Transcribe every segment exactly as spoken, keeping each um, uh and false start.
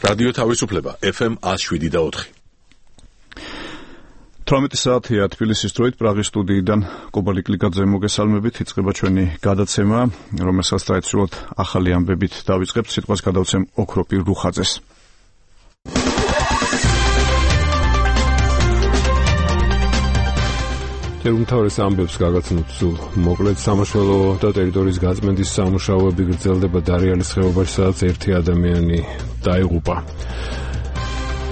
რადიო თავისუფლება ეფ ემ one oh seven და four. თვრამეტი საათია თბილისის დროით პრაღის სტუდიიდან კუბა ლიკლიკაძე მოგესალმებით. იწყება ჩვენი გადაცემა, რომელსაც დაეცვლოთ ახალი ამბებით დავიწყებთ. სიტყვას გადავცემ ოქროპირ რუხაძეს. umთავრეს ამბებს გაგაცნოთ სულ მოკლედ. სამაშველო და ტერიტორიის გაწმენდის სამუშაოები გრძელდება დარიალის ხეობაში, სადაც ერთი ადამიანი დაიღუპა.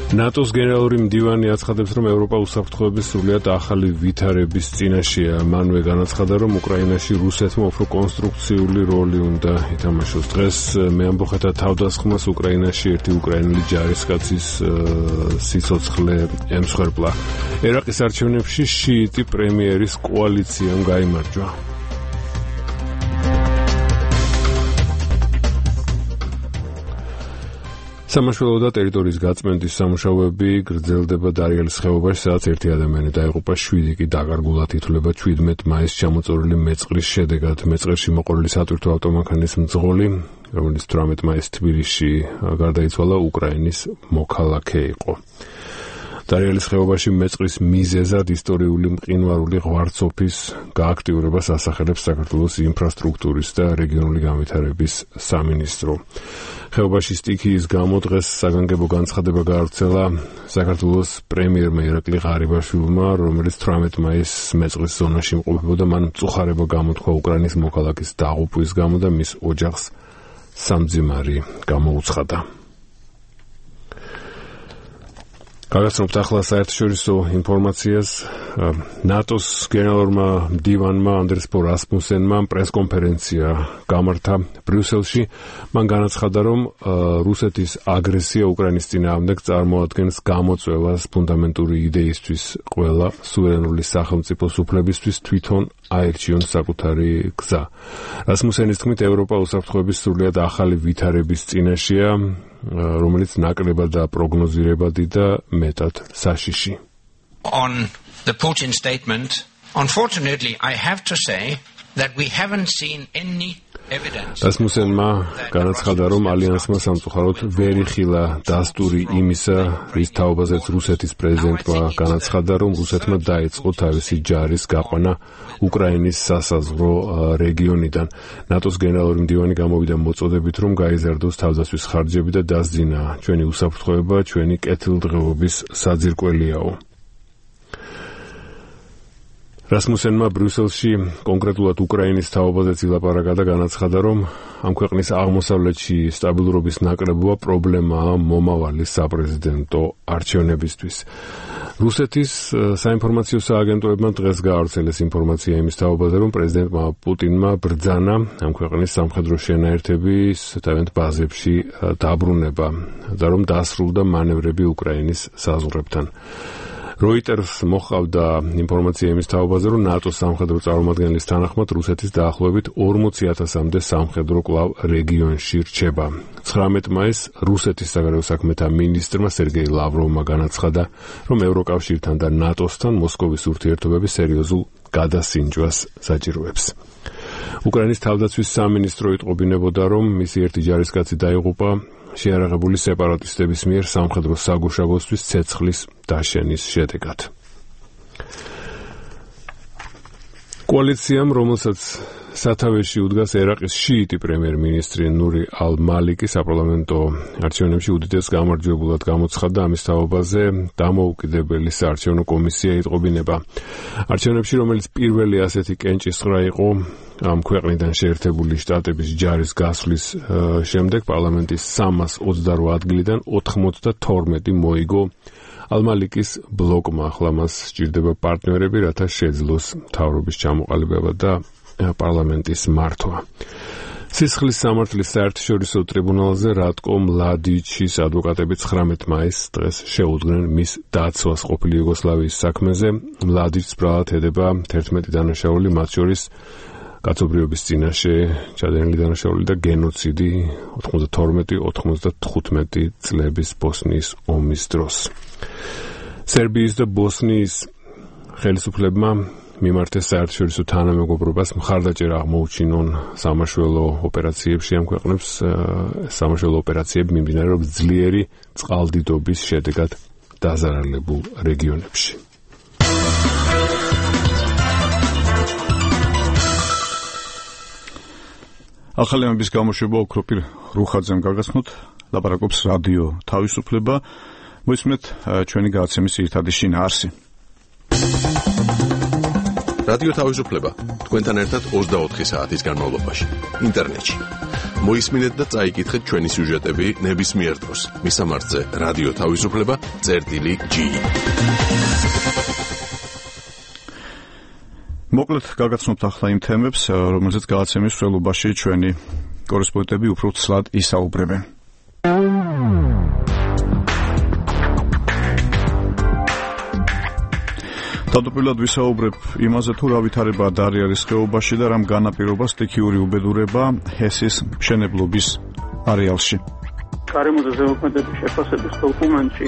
ნატოს გენერალური მდივანი აცხადებს, რომ ევროპა უსაფრთხოების სრულიად ახალი ვითარების წინაშეა. მანვე განაცხადა, რომ უკრაინაში რუსეთმა უფრო კონსტრუქციული როლი უნდა ითამაშოს. დღეს მეამბოხეთა თავდასხმას უკრაინაში ერთი უკრაინელი ჯარისკაცის სიცოცხლე ემსხვერპლა. ერაყის არჩევნებში შიიტი პრემიერის კოალიციამ გაიმარჯვა. სამაშველო და ტერიტორიის გაწმენდის სამუშაოები გრძელდება დარიალის ხეობაში, სადაც ერთი ადამიანი დაიღუპა, შვიდი კი დაკარგულად ითვლება ჩვიდმეტ მაისს ჩამოწოლილი მეწყრის შედეგად. მეწყერში მოყოლილი სატვირთო ავტომანქანის მძღოლი, რომელიც თვრამეტ მაისს თბილისში გარდაიცვალა, უკრაინის მოქალაქე იყო. დარიალის ხეობაში მეწყრის მიზეზად ისტორიული მყინვარული ღვარცოფის გააქტიურებას ასახელებს საქართველოს ინფრასტრუქტურის და რეგიონული განვითარების სამინისტრო. ხეობაში სტიქიის გამო დღეს საგანგებო განცხადება გაავრცელა საქართველოს პრემიერმა ირაკლი ღარიბაშვილმა, რომელიც თვრამეტ მაისს მეწყრის ზონაში იმყოფებოდა. მან მწუხარება გამოთქვა უკრაინის მოქალაქის დაღუპვის გამო და მის ოჯახს სამძიმარი გამოუცხადა. გაგაცნობთ ახლა საერთაშორისო ინფორმაციას. ნატოს გენერალურმა მდივანმა ანდრეს ბო რასმუსენმა პრესკონფერენცია გამართა ბრიუსელში. მან განაცხადა, რომ რუსეთის აგრესია უკრაინის წინააღმდეგ წარმოადგენს გამოწვევას ფუნდამენტური იდეისთვის, ყველა სუვერენული სახელმწიფოს უფლებისთვის თვითონ აერჩიონ საკუთარი გზა. რასმუსენის თქმით, ევროპა უსაფრთხოების სრულიად ახალი ვითარების წინაშეა, რომელიც ნაკლებად და პროგნოზირებადი და მეტად საშიში. On the Putin statement, unfortunately, I have to say that we haven't seen any evidence. რასმუსენმა განაცხადა, რომ ალიანსმა სამწუხაროდ ვერ იხილა დასტური იმისა, რის თაობაზეც რუსეთის პრეზიდენტმა განაცხადა, რომ რუსეთმა დაიწყო თავისი ჯარის გაყვანა უკრაინის სასაზღვრო რეგიონიდან. ნატოს გენერალური მდივანი გამოვიდა მოწოდებით, რომ გაიზარდოს თავდაცვის ხარჯები და დასძინა ჩვენი უსაფრთხოება, ჩვენი კეთილდღეობის საძირკველიაო. რასმუსენმა ბრიუსელში კონკრეტულად უკრაინის თაობაზეც ილაპარაკა და განაცხადა, რომ ამ ქვეყნის აღმოსავლეთში სტაბილურობის ნაკლებობა პრობლემაა მომავალი საპრეზიდენტო არჩევნებისთვის. რუსეთის საინფორმაციო სააგენტოებმა დღეს გაავრცელეს ინფორმაცია იმის თაობაზე, რომ პრეზიდენტმა პუტინმა ბრძანა ამ ქვეყნის სამხედრო შენაერთების თავიანთ ბაზებში დაბრუნება და რომ დასრულდა მანევრები უკრაინის საზღვრებთან. Reuters მოჰყავდა ინფორმაცია იმის თაობაზე, რომ ნატოს სამხედრო წარმომადგენლის თანახმად რუსეთის დაახლოებით ორმოცი ათასამდე სამხედრო კვლავ რეგიონში რჩება. ცხრამეტ მაისს რუსეთის საგარეო საქმეთა მინისტრმა სერგეი ლავროვმა განაცხადა, რომ ევროკავშირთან და ნატოსთან მოსკოვის ურთიერთობები სერიოზულ გადასინჯვას საჭიროებს. უკრაინის თავდაცვის სამინისტრო იტყობინებოდა, რომ მისი ერთი ჯარისკაცი დაიღუპა შეარაღებული სეპარატისტების მიერ სამხედრო საგუშაგოსთვის ცეცხლის დაშენის შედეგად. კოალიციამ, რომელსაც სათავეში უდგას ერაყის შიიტი პრემიერ-მინისტრი ნური ალ-მალიკი, საპარლამენტო არჩევნებში უდიდეს გამარჯვებულად გამოცხადდა. ამის თაობაზე დამოუკიდებელი საარჩევნო კომისია იტყობინება. არჩევნებში, რომელიც პირველი ასეთი კენჭისყრა იყო ამ ქვეყნიდან შეერთებული შტატების ჯარის გასვლის შემდეგ, პარლამენტის სამას ოცდარვა ადგილიდან ოთხმოცდათორმეტი მოიგო ალ-მალიკის ბლოკმა. ახლა მას სჭირდება პარტნიორები, რათა შეძლოს მთავრობის ჩამოყალიბება და პარლამენტის მართვა. სისხლის სამართლის საერთაშორისო ტრიბუნალზე რატკო მლადიჩის ადვოკატები ცხრამეტ მაისს დღეს შეუდგნენ მის დაცვას ყოფილი იუგოსლავიის საქმეზე. მლადიჩს ბრალად ედება თერთმეტი დანაშაული, მათ შორის კაცობრიობის წინაშე ჩადენილი დანაშაული და გენოციდი ოთხმოცდათორმეტი ოთხმოცდათხუთმეტი წლების ბოსნიის ომის დროს. სერბიის და ბოსნიის ხელისუფლებმა მიმართეს საერთაშორისო თანამეგობრობას მხარდაჭერა აღმოუჩინონ სამაშველო ოპერაციებში ამ ქვეყნებს სამაშველო ოპერაციები მიმდინარეობს ძლიერი წყალდიდობის შედეგად დაზარალებულ რეგიონებში. ახალი ამბის გამოშვება ოქროპირ რუხაძემ გაგაცნოთ, ლაპარაკობს რადიო თავისუფლება. მოისმენთ ჩვენი გადაცემის ერთადი შინაარსი. რადიო თავისუფლება თქვენთან ერთად ოცდაოთხი საათის განმავლობაში ინტერნეტში. მოისმინეთ და წაიკითხეთ ჩვენი სიუჟეტები ნებისმიერ დროს. მისამართზე რადიო თავისუფლება წერტილი ჯი. მოკლედ გაგაცნობთ ახლა იმ თემებს, რომელზეც გადაცემის მსვლელობაში ჩვენი კორესპონდენტები უფრო ცლად ისაუბრებენ. თავდაპირველად ვისაუბრებ იმაზე, თუ რა ვითარებაა დარიალის ხეობაში და რამ განაპირობა სტიქიური უბედურება ჰესის მშენებლობის არეალში. გარემოზე ზემოქმედების შეფასების დოკუმენტში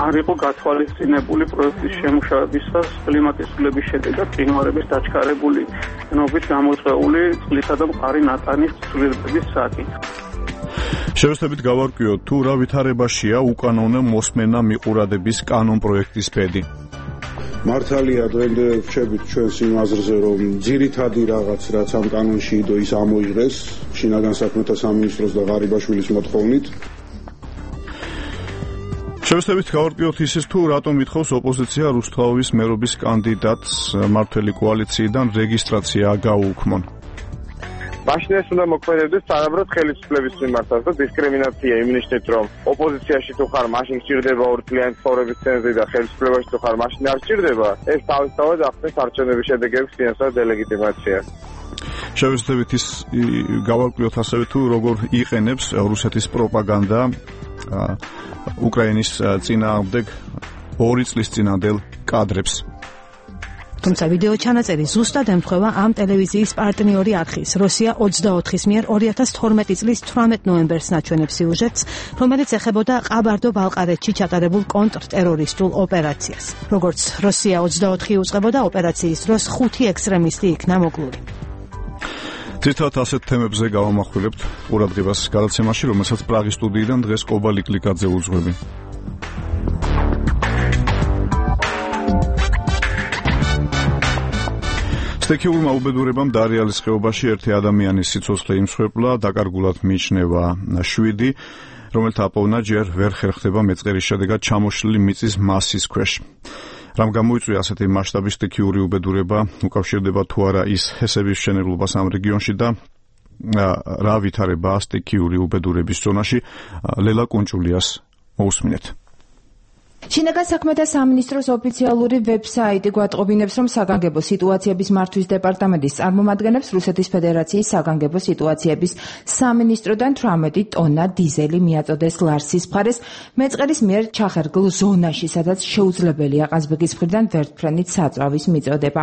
არ იყო გათვალისწინებული პროექტის შემუშავებისას კლიმატის ცვლილების შედეგად მყინვარების დაჩქარებული ნობით გამოწვეული წყლისა და მყარი ნატანის ცვლილების საკითხი. შევეცდებით გავარკვიოთ, თუ რა ვითარებაშია უკანონო მოსმენა მიყურადების კანონ პროექტის ბედი. მართალია დღემდე ვჩებით ჩვენს იმ აზრზე, რომ ძირითადი რაღაც რაც ამ კანონში იდო ის ამოიღეს შინაგან საქმეთა სამინისტროს და ღარიბაშვილის მოთხოვნით. შევეცდებით გავარკვიოთ ისიც, თუ რატომ ითხოვს ოპოზიცია რუსთავის მერობის კანდიდატს მართველი კოალიციიდან რეგისტრაცია გაუქმონ. მაშინ ეს უნდა მოქმედებდეს თანაბრად ხელისუფლების მიმართაც და დისკრიმინაცია იმ ნიშნით, რომ ოპოზიციაში თუ ხარ, მაშინ სჭირდება ორწლიანი ცხოვრების ცენზი და ხელისუფლებაში თუ ხარ, მაშინ არ სჭირდება. ეს თავისთავად ახდენს არჩევნების შედეგების ფინანსურ დელეგიტიმაციას. შევეცდებით ის გავარკვიოთ ასევე, თუ როგორ იყენებს რუსეთის პროპაგანდა უკრაინის წინააღმდეგ ორი წლის წინანდელ კადრებს. თუმცა ვიდეო ჩანაწერი ზუსტად ემთხვევა ამ ტელევიზიის პარტნიორი არხის რუსია ოცდაოთხის მიერ ორი ათას თორმეტი წლის თვრამეტ ნოემბერს ნაჩვენებ სიუჟეტს, რომელიც ეხებოდა ყაბარდო-ბალყარეთში ჩატარებულ კონტრტერორისტულ ოპერაციას. როგორც რუსია ოცდაოთხი უწყებოდა, ოპერაციის დროს ხუთი ექსტრემისტი იქნა მოკლული. ძირითადად ასეთ თემებზე გავამახვილებთ ყურადღებას გადაცემაში, რომელსაც პრაღის სტუდიიდან დღეს კობა ლიკლიკაძე უძღვები. სტიქიურმა უბედურებამ დარიალის ხეობაში ერთი ადამიანის სიცოცხლე იმსხვერპლა, დაკარგულად მიიჩნევა შვიდი, რომელთა აპოვნა ჯერ ვერ ხერხდება მეწყერის შედეგად ჩამოშლილი მიწის მასის ქვეშ. რამ გამოიწვია ასეთი მასშტაბის სტიქიური უბედურება, უკავშირდება თუ არა ის ჰესების მშენებლობას ამ რეგიონში და რა ვითარებაა სტიქიური უბედურების ზონაში, ლელა კუნჭულიას მოусმინეთ. შინაგან საქმეთა სამინისტროს ოფიციალური ვებსაიტი გვატყობინებს, რომ საგანგებო სიტუაციების მართვის დეპარტამენტის წარმომადგენლებს რუსეთის ფედერაციის საგანგებო სიტუაციების სამინისტროდან თვრამეტი ტონა დიზელი მიაწოდეს ლარსის მხარეს მეწყერის მიერ ჩახერგლ ზონაში, სადაც შეუძლებელია ყაზბეგის მხრიდან ვერტმფრენით საწვავის მიწოდება.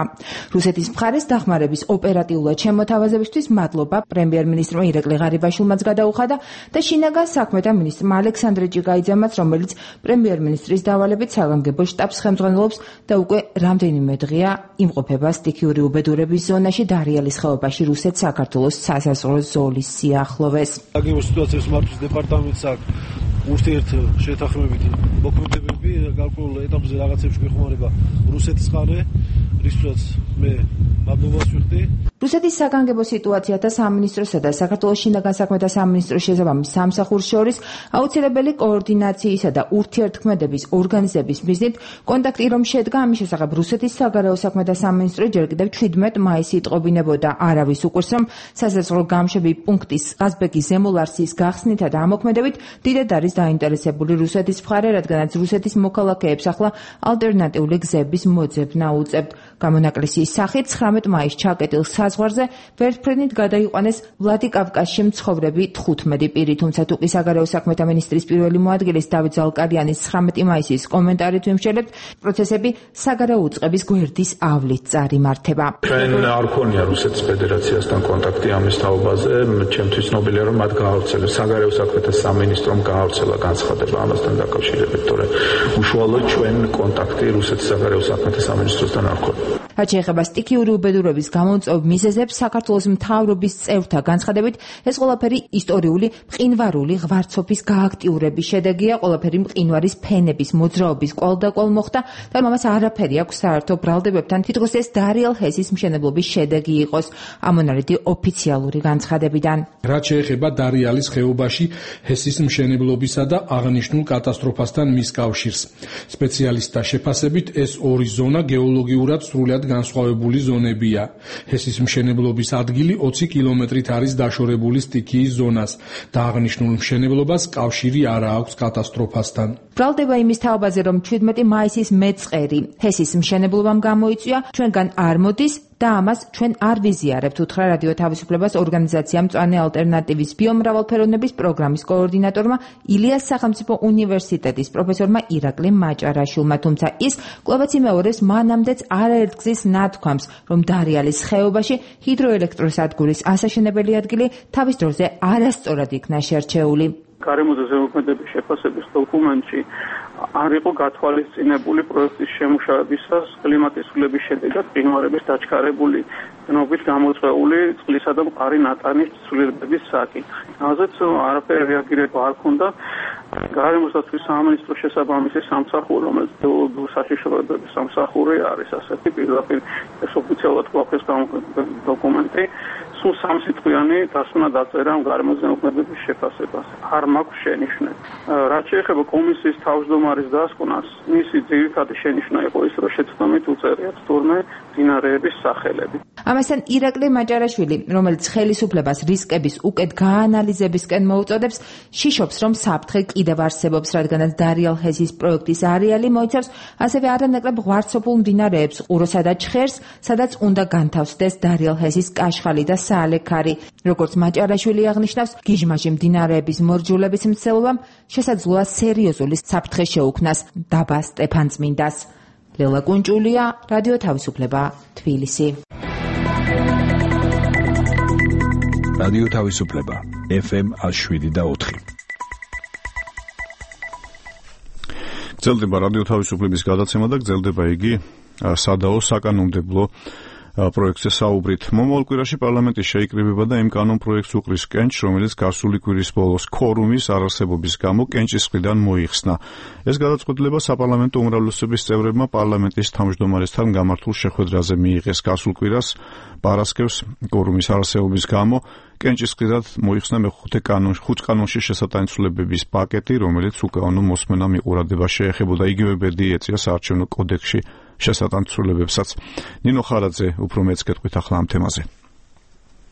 რუსეთის მხარეს დახმარების ოპერატიულად შემოთავაზებისთვის მადლობა პრემიერ-მინისტრმა ირაკლი ღარიბაშვილმაც გადაუხადა და შინაგან საქმეთა მინისტრმა ალექსანდრე ჭიკაიძემაც, რომელიც პრემიერ-მინისტრის დავალებით საგანგებო შტაბს ხელმძღვანელობს და უკვე რამდენიმე დღეა იმყოფება სტიქიური უბედურების ზონაში დარიალის ხეობაში რუსეთ საქართველოს სასაზღვრო ზოლის სიახლოვეს. საგანგებო სიტუაციების მართვის დეპარტამენტს აქვს ურთიერთ შეთანხმებითი მოქმედებები, გარკვეულ ეტაპზე რაღაცებში გვეხმარება რუსეთის ხარე, რისთვისაც მე მადლობას ვიხდი. რუსეთის საგანგებო სიტუაციათა სამინისტროსა და საქართველოს შინაგან საქმეთა სამინისტროს შესაბამის სამსახურს შორის აუცილებელი კოორდინაციისა და ურთიერთქმედების ორგანიზების მიზნით კონტაქტი რომ შედგა, ამის შესახებ რუსეთის საგარეო საქმეთა სამინისტრო ჯერ კიდევ შვიდმეტ მაისს იტყობინებოდა. არავის უკვირს, რომ სასაზღვრო გამშვები პუნქტის ყაზბეგის ზემო ლარსის გახსნითა და ამოქმედებით დიდად არის დაინტერესებული რუსეთის მხარე, რადგანაც რუსეთის მოქალაქეებს ახლა ალტერნატიული გზების მოძებნა უწევთ. გამონაკლისის სახით ცხრამეტ მაისს ჩაკეტილ საზღვარზე ვერტმფრენით გადაიყვანეს ვლადიკავკაზში მცხოვრები თხუთმეტი პირი, თუმცა თუკი საგარეო საქმეთა მინისტრის პირველი მოადგილის დავით ზალკარიანის ცხრამეტი მაისის კომენტარით ვიმშელებთ, პროცესები საგარეო უწყების გვერდის ავლით წარიმართება. ჩვენ არ ქონია რუსეთის ფედერაციასთან კონტაქტი ამის თაობაზე, ჩემთვის ცნობილია, რომ მათ გაავრცელეს საგარეო საქმეთა სამინისტრომ გაავრცელა განცხადება ამასთან დაკავშირებით, თორემ უშუალოდ ჩვენ კონტაქტი რუსეთის საგარეო საქმეთა სამინისტროსთან არ ქონია. რაც შეეხება სტიქიური უბედურების გამომწვევ მიზეზებს, საქართველოს მთავრობის წევრთა განცხადებით, ეს ყველაფერი ისტორიული მყინვარული ღვარცოფის გააქტიურების შედეგია, ყველაფერი მყინვარის ფენების მოძრაობის კვალდაკვალ მოხდა და მამას არაფერი აქვს საერთო ბრალდებებთან, თითქოს ეს დარიელ ჰესის მშენებლობის შედეგი იყოს, ამონარიდი ოფიციალური განცხადებიდან. რაც შეეხება დარიალის ხეობაში ჰესის მშენებლობისა და აღნიშნულ კატასტროფასთან მის კავშირს. სპეციალისტთა შეფასებით ეს ორი ზონა გეოლოგიურად სრულად განსხვავებული ზონებია. ჰესის მშენებლობის ადგილი ოცი კილომეტრით არის დაშორებული სტიქიის ზონას და აღნიშნულ მშენებლობას კავშირი არ აქვს კატასტროფასთან. ბრალდება იმის თაობაზე, რომ ჩვიდმეტი მაისის მეწყერი ჰესის მშენებლობამ გამოიწვია, ჩვენგან არ მოდის და ამას ჩვენ არ ვიზიარებთ, უთხრა რადიო თავისუფლებას ორგანიზაცია მწვანე ალტერნატივის ბიომრავალფეროვნების პროგრამის კოორდინატორმა ილიას სახელმწიფო უნივერსიტეტის პროფესორმა ირაკლი მაჭარაშვილმა, თუმცა ის კვლავაც იმეორებს მანამდეც არაერთგზის ნათქვამს, რომ დარიალის ხეობაში ჰიდროელექტროსადგურის ასაშენებელი ადგილი თავის დროზე არასწორად იქნა შერჩეული. გარემოზე ზემოქმედების შეფასების დოკუმენტში არ იყო გათვალისწინებული პროექტის შემუშავებისას კლიმატის ცვლილების შედეგად მყინვარების დაჩქარებული დნობით გამოწვეული წყლისა და მყარი ნატანის ცვლილებების საკითხი. ამაზეც არაფერი რეაგირება არ ქონდა გარემოსდაცვის სამინისტროს შესაბამისი სამსახური, რომელიც გეოლოგიური საშიშროებების სამსახური არის, ასეთი პირდაპირ ეს ოფიციალურად გვაქვს დოკუმენტი. სულ სამსიტყვიანი დასკვნა დაწერა გარემოს ზემოქმედების შეფასებას. არ მაქვს შენიშვნა. რაც შეეხება კომისიის თავმჯდომარის დასკვნას, მისი ძირითადი შენიშვნა იყო ის, რომ შეცდომით უწერიათ თურმე მდინარეების სახელები. ამასთან ირაკლი მაჭარაშვილი, რომელიც ხელისუფლებას რისკების უკეთ გაანალიზებისკენ მოუწოდებს, შიშობს, რომ საფრთხე კიდევ არსებობს, რადგანაც დარიალ ჰესის პროექტის არეალი მოიცავს ასევე არანაკლებ ღვარცოფულ მდინარეებს, ყუროსა და ჩხერს, სადაც უნდა განთავსდეს დარიალ ჰესის კაშხალი და საალექარი. როგორც მაჭარაშვილი აღნიშნავს, გიჟმაჟი მდინარეების მორჯულების მცდელობამ შესაძლოა სერიოზული საფრთხე შეუქმნას დაბა სტეფანწმინდას. ლელა კუნჭულია, რადიო თავისუფლება, თბილისი. რადიო თავისუფლება, ეფ ემ შვიდი და ოთხი. გრძელდება რადიო თავისუფლების გადაცემა და გრძელდება იგი სადაო საკანონმდებლო პროექტზე საუბრით. მომავალ კვირაში პარლამენტი შეიკრიბება და იმ კანონ პროექტს უყრის კენჭს, რომელიც გასული კვირის ბოლოს ქორუმის არარსებობის გამო კენჭის მხრიდან მოიხსნა. ეს გადაწყვეტილება საპარლამენტო უმრავლესობის წევრებმა პარლამენტის თავმჯდომარესთან გამართულ შეხვედრაზე მიიღეს. გასულ კვირას პარასკევს ქორუმის არარსებობის გამო კენჭის მხრიდან მოიხსნა მეხუთე კანონში, ხუთ კანონში შესატანცვლებების პაკეტი, რომელიც უკანონო მოსმენა მიყურადება შეეხებოდა. იგივე ბედი ეწია საარჩევნო კოდექსში შესატანცვლებებსაც. ნინო ხარაძე უფრო მეც გეტყვით ახლა ამ თემაზე.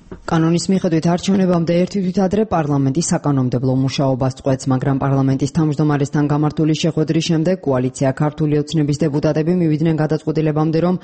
კანონის მიხედვით არჩევნებამდე ერთი თვით ადრე პარლამენტი საკანონმდებლო მუშაობას წყვეტს, მაგრამ პარლამენტის თავმჯდომარესთან გამართული შეხვედრის შემდეგ კოალიცია ქართული ოცნების დეპუტატები მივიდნენ გადაწყვეტილებამდე, რომ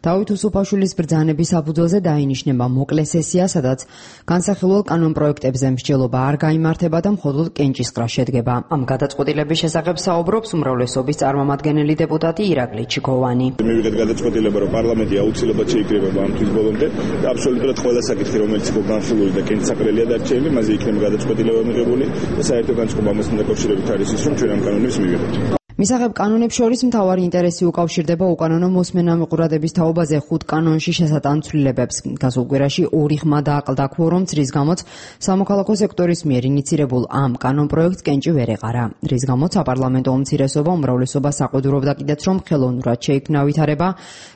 დავით უსუფაშვილის ბრძანების საფუძველზე დაინიშნება მოკლე სესია, სადაც განსახილველ კანონ პროექტებზე მსჯელობა არ გაიმართება და მხოლოდ კენჭისყრა შედგება. ამ გადაწყვეტილების შესახებ საუბრობს უმრავლესობის წარმომადგენელი დეპუტატი ირაკლი ჩიქოვანი. მივიღეთ გადაწყვეტილება, რომ პარლამენტი აუცილებლად შეიკრიბება ამ თვის ბოლომდე და აბსოლუტურად ყველა საკითხი, რომელიც იყო განხილული და კენჭისაყრელია დარჩენილი, მასზე იქნება გადაწყვეტილება მიღებული და საერთო განწყობა ამასთან დაკავშირებით არის ის, რომ ჩვენ ამ კანონებს მივიღეთ. მისაღებ კანონებს შორის მთავარი ინტერესი უკავშირდება უკანონო მოსმენა მიყურადების თაობაზე ხუთ კანონში შესატანცვლებებს. გასულ კვირაში ორი ხმა დააკლდა ქვორუმს, რის გამოც სამოქალაქო სექტორის მიერ ინიცირებულ ამ კანონ პროექტს კენჭი ვერ ეყარა. რის გამოც საპარლამენტო უმცირესობა უმრავლესობას აყვედურობდა კიდეც, რომ ხელოვნურად შეიქმნა ვითარება,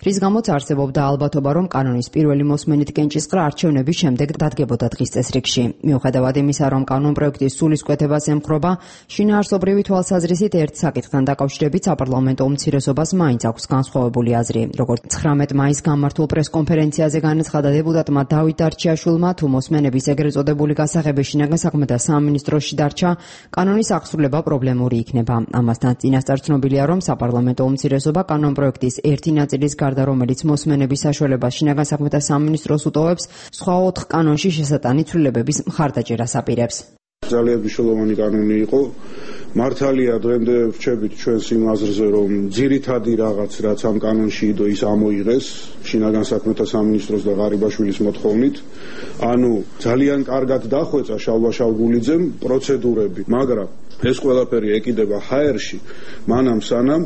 რის გამოც არსებობდა ალბათობა, რომ კანონის პირველი მოსმენით კენჭისყრა არჩევნების შემდეგ დადგებოდა დღის წესრიგში. მიუხედავად იმისა, რომ კანონ პროექტის სულისკვეთებას ემხრობა, შინაარსობრივი თვალსაზრისით ერთ საკითხთან დაკავშირებით საპარლამენტო უმცირესობას მაინც აქვს განსხვავებული აზრი. როგორც ცხრამეტ მაისს გამართულ პრესკონფერენციაზე განაცხადა დეპუტატმა დავით დარჩიაშვილმა, თუ მოსმენების ეგრეთ წოდებული გასაღები შინაგან საქმეთა სამინისტროში დარჩა, კანონის აღსრულება პრობლემური იქნება. ამასთან წინასწარ ცნობილია, რომ საპარლამენტო უმცირესობა კანონ პროექტის ერთი ნაწილის გარდა, რომელიც მოსმენების საშუალებას შინაგან საქმეთა სამინისტროს უტოვებს, სხვა ოთხ კანონში შესატანცვლებების მხარდაჭერას აპირებს. ძალიან მნიშვნელოვანი კანონი იყო. მართალია დღემდე ვრჩებით ჩვენს იმ აზრზე, რომ ძირითადი რაღაც რაც ამ კანონში იდო ის ამოიღეს შინაგან საქმეთა სამინისტროს და ღარიბაშვილის მოთხოვნით. ანუ ძალიან კარგად დახვეწა შალვა-შალგულიძემ პროცედურები, მაგრამ ეს ყველაფერი ეკიდება ჰაერში, მანამ სანამ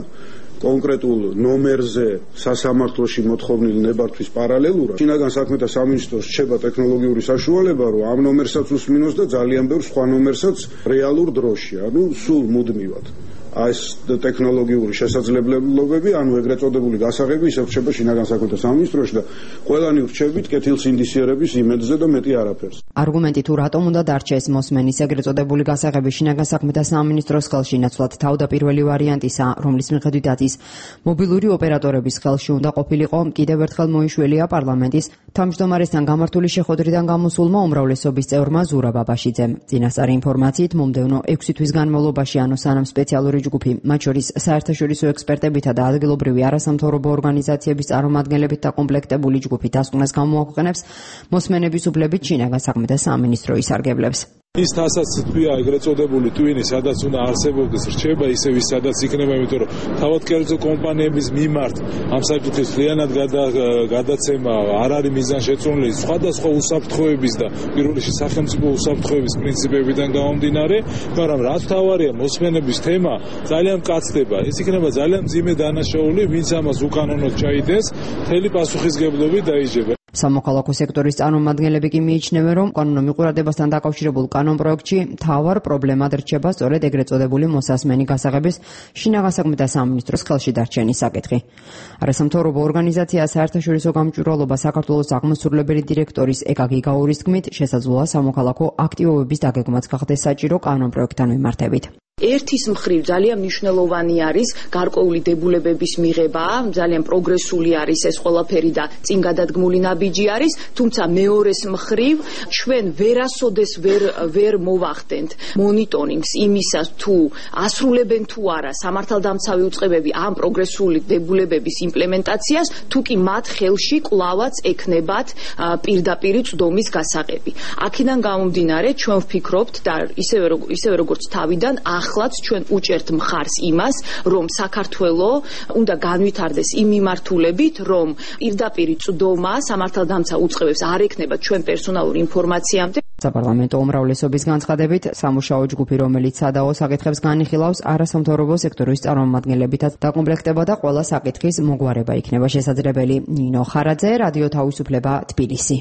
კონკრეტულ ნომერზე სასამართლოში მოთხოვნილი ნებართვის პარალელურად შინაგან საქმეთა სამინისტროს რჩება ტექნოლოგიური საშუალება, რომ ამ ნომერსაც უსმინოს და ძალიან ბევრ სხვა ნომერსაც რეალურ დროში, ანუ სულ მუდმივად. ეს ტექნოლოგიური შესაძლებლობები, ანუ ეგრეთ წოდებული გასაღები ისევ რჩება შინაგან საქმეთა სამინისტროში და ყველანი რჩებით კეთილსინდისიერების იმედზე და მეტი არაფერს. არგუმენტი თუ რატომ უნდა დარჩეს მოსმენის ეგრეთ წოდებული გასაღები შინაგან საქმეთა სამინისტროს ხელში, ნაცვლად თავდაპირველი ვარიანტისა, რომლის მიხედვითაც ის მობილური ოპერატორების ხელში უნდა ყოფილიყო, კიდევ ერთხელ მოიშველია პარლამენტის თავმჯდომარესთან გამართული შეხვედრიდან გამოსულმა უმრავლესობის წევრმა ზურაბ ბაბაშიძემ. წინასწარი ინფორმაციით, მომდევნო ექვსი თვის განმავლობაში, ანუ სანამ სპეციალური ჯგუფი, მათ შორის საერთაშორისო ექსპერტებითა და ადგილობრივი არასამთავრობო ორგანიზაციების წარმომადგენლებით დაკომპლექტებული ჯგუფი დასკვნას გამოაქვეყნებს მოსმენების უფლებით შინაგან საქმეთა სამინისტრო ისარგებლებს. ის თასაც თქვია ეგრეთ წოდებული ტვინი, სადაც უნდა არსებობდეს რჩება, ისევ ის სადაც იქნება, იმიტომ რომ თავად კერძო კომპანიების მიმართ ამ საკითხის მთლიანად გადაცემა არ არის მიზანშეწონილი სხვადასხვა უსაფრთხოების და პირველ რიგში სახელმწიფო უსაფრთხოების პრინციპებიდან გამომდინარე, მაგრამ რაც თავარია მოსმენების თემა ძალიან მკაცდება. ეს იქნება ძალიან მძიმე დანაშაული, ვინც ამას უკანონოდ ჩაიდენს, მთელი პასუხისგებლობით დაიჯება. სამოქალაქო სექტორის წარმომადგენლები კი მიიჩნევენ, რომ კანონო მიყურებასთან დაკავშირებულ კანონპროექტში მთავარ პრობლემად რჩება სწორედ ეგრეთ წოდებული მოსასმენი გასაღების შინაგან საქმეთა სამინისტროს ხელში დარჩენის საკითხი. არასამთავრობო ორგანიზაცია საერთაშორისო გამჭვირვალობა საქართველოს აღმასრულებელი დირექტორის ეკა გიგაურის თქმით, შესაძლოა სამოქალაქო აქტივობების დაგეგმაც გახდეს საჭირო კანონპროექტთან მიმართებით. ერთის მხრივ ძალიან მნიშვნელოვანი არის გარკვეული დებულებების მიღება, ძალიან პროგრესული არის ეს ყველაფერი და წინ გადადგმული ნაბიჯი არის, თუმცა მეორეს მხრივ ჩვენ ვერასოდეს ვერ ვერ მოვახდენთ მონიტორინგს იმისას თუ ასრულებენ თუ არა სამართალდამცავი უწყებები ამ პროგრესული დებულებების იმპლემენტაციას, თუ კი მათ ხელში კვლავაც ექნებათ პირდაპირი წვდომის გასაღები. აქედან გამომდინარე ჩვენ ვფიქრობთ და ისევე ისევე როგორც თავიდან ახლაც ჩვენ უჭერთ მხარს იმას, რომ საქართველო უნდა განვითარდეს იმ მიმართულებით, რომ პირდაპირი წვდომა სამართალდამცავ უწყებებს არ ექნება ჩვენ პერსონალურ ინფორმაციამდე. საპარლამენტო უმრავლესობის განცხადებით, სამუშაო ჯგუფი, რომელიც სადაო საკითხებს განიხილავს, არასამთავრობო სექტორის წარმომადგენლებითაც დაკომპლექტება და ყველა საკითხის მოგვარება იქნება შესაძლებელი. ნინო ხარაძე, რადიო თავისუფლება, თბილისი.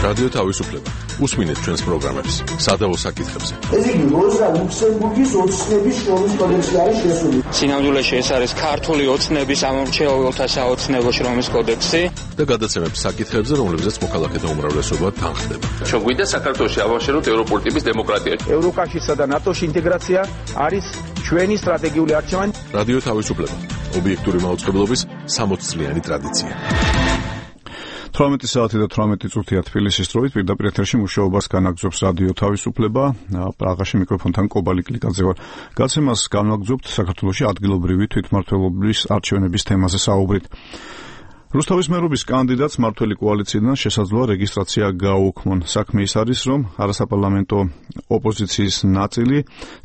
რადიო თავისუფლება. უსმინეთ ჩვენს პროგრამებს სადაო საკითხებზე. ეს იგი როზა ლუქსემბურგის ოცნების შრომის კოდექსი არის შესული. სინამდვილეში ეს არის ქართული ოცნების ამორჩეულთა საოცნებო შრომის კოდექსი და გადაცემებს საკითხებზე, რომლებზეც მოქალაქეთა უმრავლესობა თანხდება. ჩვენ გვინდა საქართველოში ავაშენოთ ევროპული ტიპის დემოკრატია. ევროკავშირსა და ნატოს ინტეგრაცია არის ჩვენი სტრატეგიული არჩევანი. რადიო თავისუფლება. ობიექტური მაუწყებლობის სამოც წლიანი ტრადიცია. თვრამეტი საათი და თვრამეტი წუთია თბილისის დროით პირდაპირ ეთერში მუშაობას განაგრძობს რადიო თავისუფლება. პრაღაში მიკროფონთან კობალი კლიკაძე ვარ. გაცემას განვაგრძობთ საქართველოში ადგილობრივი თვითმმართველობის არჩევნების თემაზე საუბრით. რუსთავის მერობის კანდიდატს მმართველი კოალიციიდან შესაძლოა რეგისტრაცია გააუქმონ. საქმე ის არის, რომ არასაპარლამენტო ოპოზიციის ნაწილი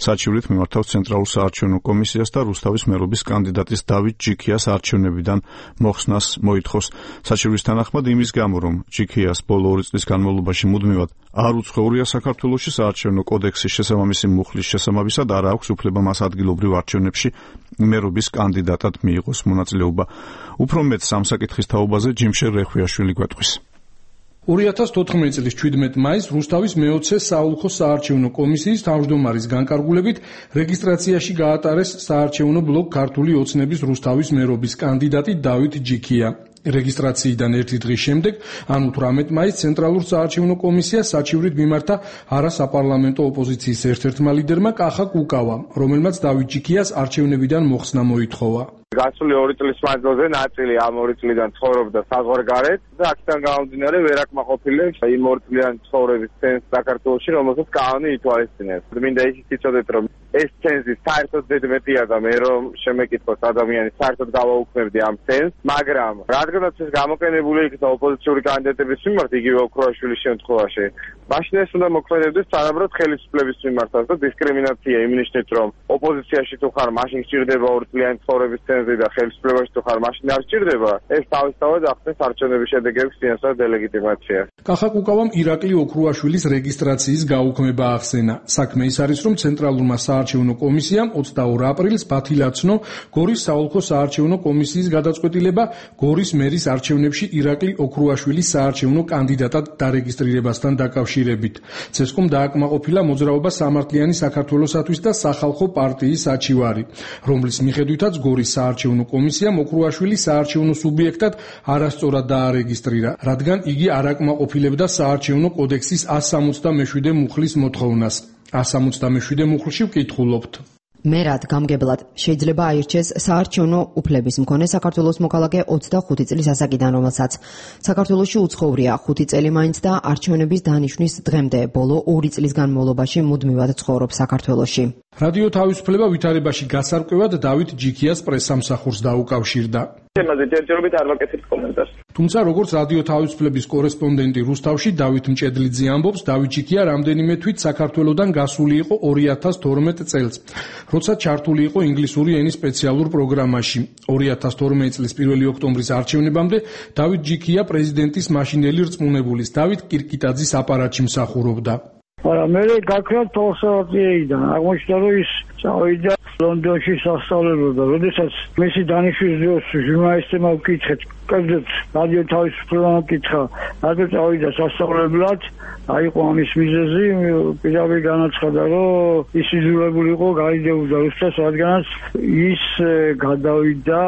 საჩივრით მიმართავს ცენტრალურ საარჩევნო კომისიას და რუსთავის მერობის კანდიდატის დავით ჯიქიას არჩევნებიდან მოხსნას მოითხოვს. საჩივრის თანახმად იმის გამო, რომ ჯიქიას ბოლო ორი წლის განმავლობაში მუდმივად არ უცხოვრია საქართველოში საარჩევნო კოდექსის შესაბამისი მუხლის შესაბამისად არ აქვს უფლება მას ადგილობრივ არჩევნებში მერობის კანდიდატად მიიღოს მონაწილეობა. უფრო მეტ სამ საკითხის თაობაზე ჯიმშერ რეხვიაშვილი გვეტყვის. ორი ათას თოთხმეტი წლის ჩვიდმეტი მაისს რუსთავის მეოცე საოლქო საარჩევნო კომისიის თავმჯდომარის განკარგულებით რეგისტრაციაში გაატარეს საარჩევნო ბლოკ ქართული ოცნების რუსთავის მერობის კანდიდატი დავით ჯიქია. რეგისტრაციიდან ერთი დღის შემდეგ, ანუ თვრამეტი მაისს ცენტრალურ საარჩევნო კომისიას საჩივრით მიმართა არასაპარლამენტო ოპოზიციის ერთ-ერთმა ლიდერმა კახა კუკავამ, რომელმაც დავით ჯიქიას არჩევნებიდან მოხსნა მოითხოვა. გასული ორი წლის მანძილზე ნაწილი ამ ორი წლიდან ცხოვრობდა საზღვარგარეთ და აქედან გამომდინარე ვერ აკმაყოფილებს იმ ორი წლიანი ცხოვრების ცენტრ საქართველოში, რომელსაც კანონი ითვალისწინებს. მინდა ისიც იცოდეთ, რომ ეს ცენზი საერთოდ ზედმეტია და მე რომ შემეკითხოს ადამიანი საერთოდ გავაუქმებდი ამ ცენზს, მაგრამ რადგანაც ეს გამოყენებული იქნა ოპოზიციური კანდიდატების მიმართ, იგივე ოქროაშვილის შემთხვევაში, მაშინ ეს უნდა მოქმედებდეს არამედ ხელისუფლების მიმართაც და დისკრიმინაცია იმ ნიშნით, რომ ოპოზიციაში თუ ხარ, მაშინ სჭირდება ორი წლიანი ცხოვრების ცენზი და ხელისუფლებაში თუ ხარ, მაშინ არ სჭირდება. ეს თავისთავად ახდენს არჩევნების შედეგების წინასწარ დელეგიტიმაციას. კახა კუკავამ ირაკლი ოქროაშვილის რეგისტრაციის გაუქმება ახსენა. საქმე ის არის, რომ ცენტრალურმა საარჩევნო კომისიამ ოცდაორ აპრილს ბათილაცნო გორის საოლქო საარჩევნო კომისიის გადაწყვეტილება გორის მერის არჩევნებში ირაკლი ოქროაშვილის საარჩევნო კანდიდატად დარეგისტრირებასთან დაკავშირებით. ცესკომ დააკმაყოფილა მოძრაობა სამართლიანი საქართველოსათვის და სახალხო პარტიის საჩივარი, რომლის მიხედვითაც გორის საარჩევნო კომისიამ ოქროაშვილის საარჩევნო სუბიექტად არასწორად დაარეგისტრირა, რადგან იგი არ აკმაყოფილებდა საარჩევნო კოდექსის one seventy-seven მუხლის მოთხოვნას. one seventy-seven მუხლში ვკითხულობთ. მერად გამგებლად შეიძლება აირჩეს საარჩევნო უფლების მქონე საქართველოს მოქალაქე ოცდახუთი წლის ასაკიდან, რომელსაც საქართველოში უცხოვრია ხუთი წელი მაინც და არჩევნების დანიშვნის დღემდე ბოლო ორი წლის განმავლობაში მუდმივად ცხოვრობს საქართველოში. რადიო თავისუფლება ვითარებაში გასარკვევად დავით ჯიქიას პრესსამსახურს დაუკავშირდა. თემაზე ჯერჯერობით არ ვაკეთებ კომენტარს. თუმცა როგორც რადიო თავისუფლების კორესპონდენტი რუსთავში დავით მჭედლიძე ამბობს, დავით ჯიქია რამდენიმე თვით საქართველოდან გასული იყო ორი ათას თორმეტ წელს, როცა ჩართული იყო ინგლისური ენის სპეციალურ პროგრამაში. ორი ათას თორმეტ წლის პირველი ოქტომბრის არჩევნებამდე დავით ჯიქია პრეზიდენტის მაშინელი რწმუნებულის დავით კირკიტაძის აპარატში მსახურობდა. არა, მე გაქრა თორსაათიიდან აღმოჩნდა, რომ ის წავიდა ლონდონში სასწავლებლად, როდესაც მისი დანიშვნის დროს ჟურნალისტებმა ვკითხეთ, კერძოდ რადიო თავისუფლებამ ვკითხა, რადგან წავიდა სასწავლებლად, აიყო ამის მიზეზი, პირდაპირ განაცხადა, რომ ის იძულებული იყო გაიდეოდა რუსეთს, რადგანაც ის გადავიდა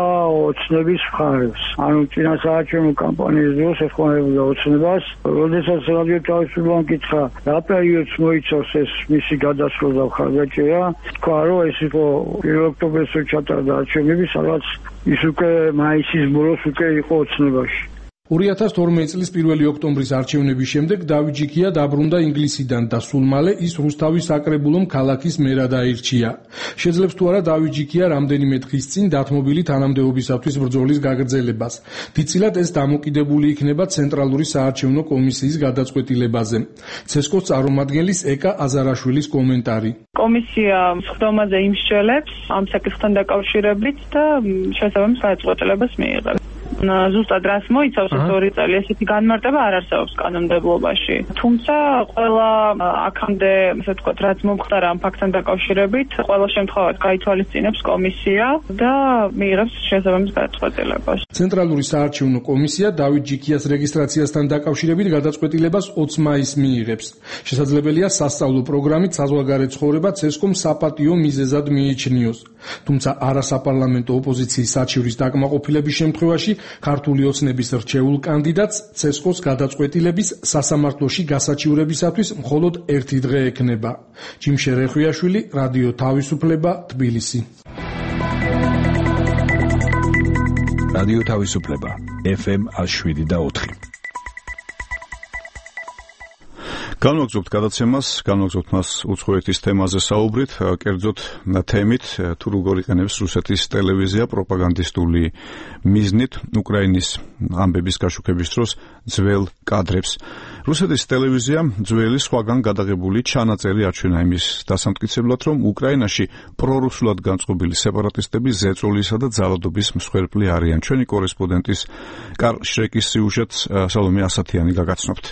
ოცნების მხარეს. ანუ წინა საარჩევნო კამპანიის დროს ეხმარებოდა ოცნებას, როდესაც რადიო თავისუფლებამ ვკითხა, რა პერიოდს მოიცავს ეს მისი გადასვლა და მხარდაჭერა, თქვა, რომ ეს იყო პირველ ოქტომბერს ჩატარდა არჩევნები, სადაც ის უკვე მაისის ბოლოს უკვე იყო ოცნებაში. ორი ათას თორმეტ წლის პირველი ოქტომბრის არჩევნების შემდეგ დავით ჯიქია დაბრუნდა ინგლისიდან და სულ მალე ის რუსთავის საკრებულომ ქალაქის მერად აირჩია. შეძლებს თუ არა დავით ჯიქია რამდენიმე დღის წინ დათმობილი თანამდებობისათვის ბრძოლის გაგრძელებას. დიდწილად ეს დამოკიდებული იქნება ცენტრალური საარჩევნო კომისიის გადაწყვეტილებაზე. ცესკოს წარმომადგენლის ეკა აზარაშვილის კომენტარი. კომისია სხდომაზე იმსჯელებს ამ საკითხთან დაკავშირებით და შესაბამის გადაწყვეტილებას მიიღებს. ზუსტად რას მოიცავს ეს ორი წელი, ესეთი განმარტება არ არსებობს კანონმდებლობაში. თუმცა ყველა აქამდე, ასე ვთქვათ, რაც მომხდარა ამ ფაქტთან დაკავშირებით, ყველა შემთხვევაში გაითვალისწინებს კომისია და მიიღებს შესაბამის გადაწყვეტილებას. ცენტრალური საარჩევნო კომისია დავით ჯიქიას რეგისტრაციასთან დაკავშირებით გადაწყვეტილებას ოცი მაისს მიიღებს. შესაძლებელია სასწავლო პროგრამით საზღვარგარეთ ცხოვრება ცესკომ საპატიო მიზეზად მიიჩნიოს. თუმცა არასაპარლამენტო ოპოზიციის საჩივრის დაკმაყოფილების შემთხვევაში ქართული ოცნების რჩეულ კანდიდატს ცესკოს გადაწყვეტილების სასამართლოში გასაჩივრებისათვის მხოლოდ ერთი დღე ექნება. ჯიმშე რეხვიაშვილი, რადიო თავისუფლება, თბილისი. რადიო თავისუფლება, ეფ ემ one oh seven და four. განვაგრძობთ გადაცემას, განვაგრძობთ მას უცხოეთის თემაზე საუბრით, კერძოდ თემით, თუ როგორ იყენებს რუსეთის ტელევიზია პროპაგანდისტული მიზნით უკრაინის ამბების გაშუქების დროს ძველ კადრებს. რუსეთის ტელევიზია ძველი სხვაგან გადაღებული ჩანაწერი აჩვენა იმის დასამტკიცებლად, რომ უკრაინაში პრორუსულად განწყობილი სეპარატისტები ზეწოლისა და ძალადობის მსხვერპლი არიან. ჩვენი კორესპონდენტის კარლ შრეკის სიუჟეტს სალომე ასათიანი გაგაცნობთ.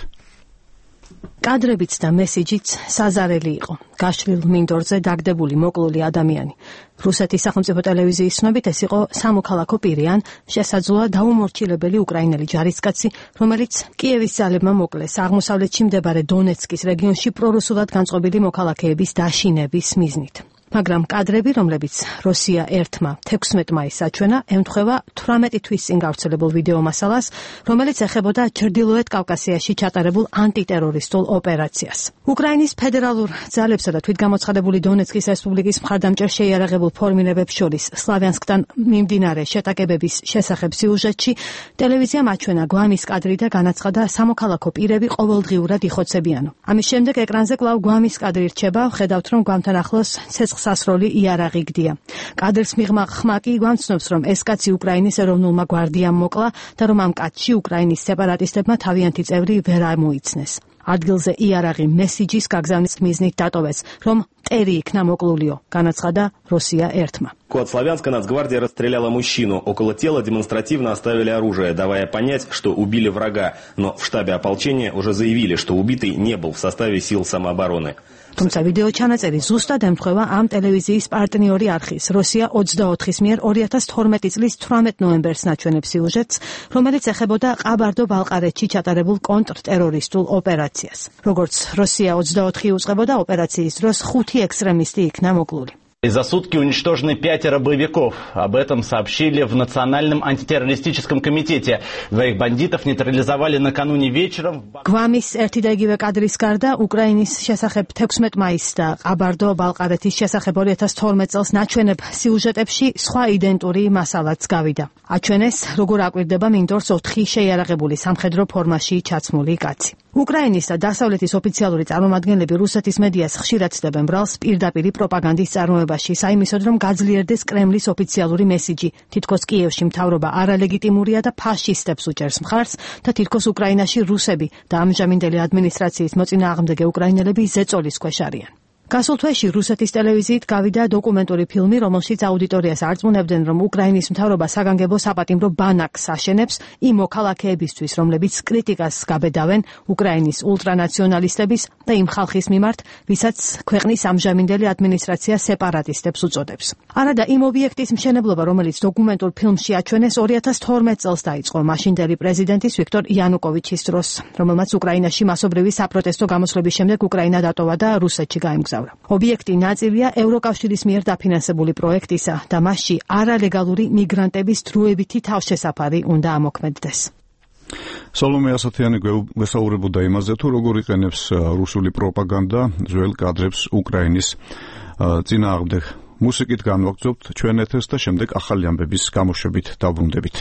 კადრებიც და მესიჯიც საზარელი იყო. გაშლილ მინდორზე დაგდებული მოკლული ადამიანი. რუსეთის სახელმწიფო ტელევიზიის ცნობით ეს იყო სამოქალაქო პირი ან შესაძლოა დაუმორჩილებელი უკრაინელი ჯარისკაცი, რომელიც კიევის ძალებმა მოკლეს აღმოსავლეთში მდებარე დონეცკის რეგიონში პრორუსულად განწყობილი მოქალაქეების დაშინების მიზნით. მაგრამ კადრები, რომლებიც რუსია ერთმა თექვსმეტ მაისს აჩვენა, ემთხვევა თვრამეტი თვის წინ გავრცელებულ ვიდეო მასალას, რომელიც ეხებოდა ჩრდილოეთ კავკასიაში ჩატარებულ ანტიტერორისტულ ოპერაციას. უკრაინის ფედერალურ ძალებსა და თვითგამოცხადებული დონეცკის რესპუბლიკის მხარდამჭერ შეიარაღებულ ფორმირებებს შორის სლავიანსკთან მიმდინარე შეტაკებების შესახებ სიუჟეტში ტელევიზიამ აჩვენა გვამის კადრი და განაცხადა სამოქალაქო პირები ყოველდღიურად იხოცებიანო. ამის შემდეგ ეკრანზე კვლავ გვამის კადრი რჩება, ხედავთ, რომ გვამთან ახლოს ცეცხლსა აღსასროლი იარაღი გდია. კადრს მიღმა ხმა კი გვამცნობს, რომ ეს კაცი უკრაინის ეროვნულმა გვარდიამ მოკლა და რომ ამ კაცში უკრაინის სეპარატისტებმა თავიანთი წევრი ვერ ამოიცნეს. ადგილზე იარაღი მესიჯის გაგზავნის მიზნით დატოვეს, რომ მტერი იქნა მოკლულიო, განაცხადა როსია ერთმა. От Славянска Нацгвардия расстреляла мужчину. Около тела демонстративно оставили оружие, давая понять, что убили врага. Но в штабе ополчения уже заявили, что убитый не был в составе сил самообороны. თუმცა ვიდეო ჩანაწერი ზუსტად ემთხვევა ამ ტელევიზიის პარტნიორი არხის როსია ოცდაოთხის მიერ ორი ათას თორმეტი წლის თვრამეტ ნოემბერს ნაჩვენებ სიუჟეტს, რომელიც ეხებოდა ყაბარდო-ბალყარეთში ჩატარებულ კონტრტერორისტულ ოპერაციას. როგორც როსია ოცდაოთხი უწყებოდა, ოპერაციის დროს ხუთი ექსტრემისტი იქნა მოკლული. За сутки уничтожены пятеро боевиков. Об этом сообщили в Национальном антитеррористическом комитете. Двоих бандитов нейтрализовали накануне вечером. გვამის ერთი და იგივე კადრის გარდა უკრაინის შესახებ თექვსმეტ მაისს და ყაბარდო-ბალყარეთის შესახებ ორი ათას თორმეტ წელს ნაჩვენებ სიუჟეტებში სხვა იდენტური მასალაც გავიდა. აჩვენეს, როგორ აკვირდება მინდორს ოთხი შეიარაღებული სამხედრო ფორმაში ჩაცმული კაცი. უკრაინის და დასავლეთის ოფიციალური წარმომადგენლები რუსეთის მედიას ხშირად ცდებენ ბრალს პირდაპირი პროპაგანდის წარმოებაში, საიმისოდ რომ გაძლიერდეს კრემლის ოფიციალური მესიჯი. თითქოს კიევში მთავრობა არალეგიტიმურია და ფაშისტებს უჭერს მხარს და თითქოს უკრაინაში რუსები და ამჟამინდელი ადმინისტრაციის მოწინააღმდეგე უკრაინელები ზეწოლის ქვეშ არიან. გასულ თვეში რუსეთის ტელევიზიით გავიდა დოკუმენტური ფილმი, რომელშიც აუდიტორიას არწმუნებდნენ, რომ უკრაინის მთავრობა საგანგებო საპატიმრო ბანაკს აშენებს იმ მოქალაქეებისთვის, რომლებიც კრიტიკას გაბედავენ უკრაინის ულტრანაციონალისტების და იმ ხალხის მიმართ, ვისაც ქვეყნის ამჟამინდელი ადმინისტრაცია სეპარატისტებს უწოდებს. არადა იმ ობიექტის მშენებლობა, რომელიც დოკუმენტურ ფილმში აჩვენეს ორი ათას თორმეტ წელს დაიწყო მაშინდელი პრეზიდენტის ვიქტორ იანუკოვიჩის დროს, რომელმაც უკრაინაში მასობრივი საპროტესტო გამოსვლების შემდეგ უკრაინა დატოვა და რუსეთში გაემგზავრა. ობიექტი ნაწილია ევროკავშირის მიერ დაფინანსებული პროექტისა და მასში არალეგალური მიგრანტების დროებითი თავშესაფარი უნდა ამოქმედდეს. სოლომე ასათიანი გვესაუბრებოდა იმაზე, თუ როგორ იყენებს რუსული პროპაგანდა ძველ კადრებს უკრაინის წინააღმდეგ. მუსიკით განვაგრძობთ ჩვენ ეთერს და შემდეგ ახალი ამბების გამოშვებით დავბრუნდებით.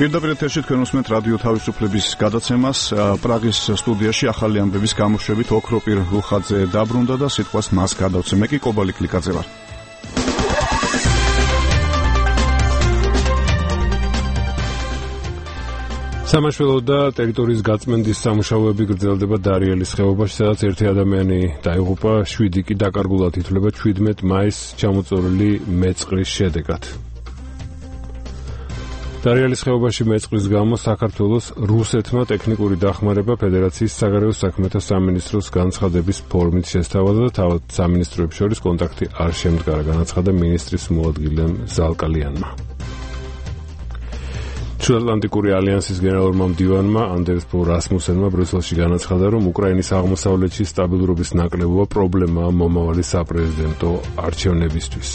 პირდაპირ ეთერში თქვენ უსმენთ რადიო თავისუფლების გადაცემას. პრაღის სტუდიაში ახალი ამბების გამოშვებით ოქროპირ რუხაძე დაბრუნდა და სიტყვას მას გადავცე. მე კი კობალი კლიკაძე ვარ. სამაშველო და ტერიტორიის გაწმენდის სამუშაოები გრძელდება დარიელის ხეობაში, სადაც ერთი ადამიანი დაიღუპა, შვიდი კი დაკარგულად ითვლება ჩვიდმეტ მაისს ჩამოწოლილი მეწყრის შედეგად. დარიელის ხეობაში მეწყრის გამო საქართველოს რუსეთმა ტექნიკური დახმარება ფედერაციის საგარეო საქმეთა სამინისტროს განცხადების ფორმით შესთავაზა და თავად სამინისტროებს შორის კონტაქტი არ შემდგარა, განაცხადა მინისტრის მოადგილემ ზალკალიანმა. ჩრდილოატლანტიკური ალიანსის გენერალურმა მდივანმა ანდერს ბო რასმუსენმა ბრიუსელში განაცხადა, რომ უკრაინის აღმოსავლეთში სტაბილურობის ნაკლებობა პრობლემაა მომავალი საპრეზიდენტო არჩევნებისთვის.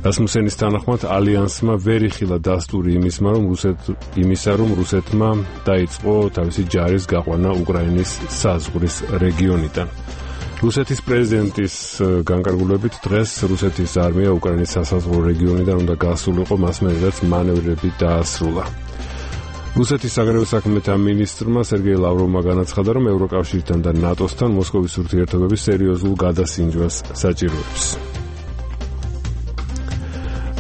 რასმუსენის თანახმად ალიანსმა ვერ იხილა დასტური იმისმა, რომ რუსეთ იმისა, რომ რუსეთმა დაიწყო თავისი ჯარის გაყვანა უკრაინის საზღვრის რეგიონიდან. რუსეთის პრეზიდენტის განკარგულებით დღეს რუსეთის არმია უკრაინის სასაზღვრო რეგიონიდან უნდა გასულიყო, მას მერეც მანევრები დაასრულა. რუსეთის საგარეო საქმეთა მინისტრმა სერგეი ლავროვმა განაცხადა, რომ ევროკავშირთან და ნატოსთან მოსკოვის ურთიერთობების სერიოზულ გადასინჯვას საჭიროებს.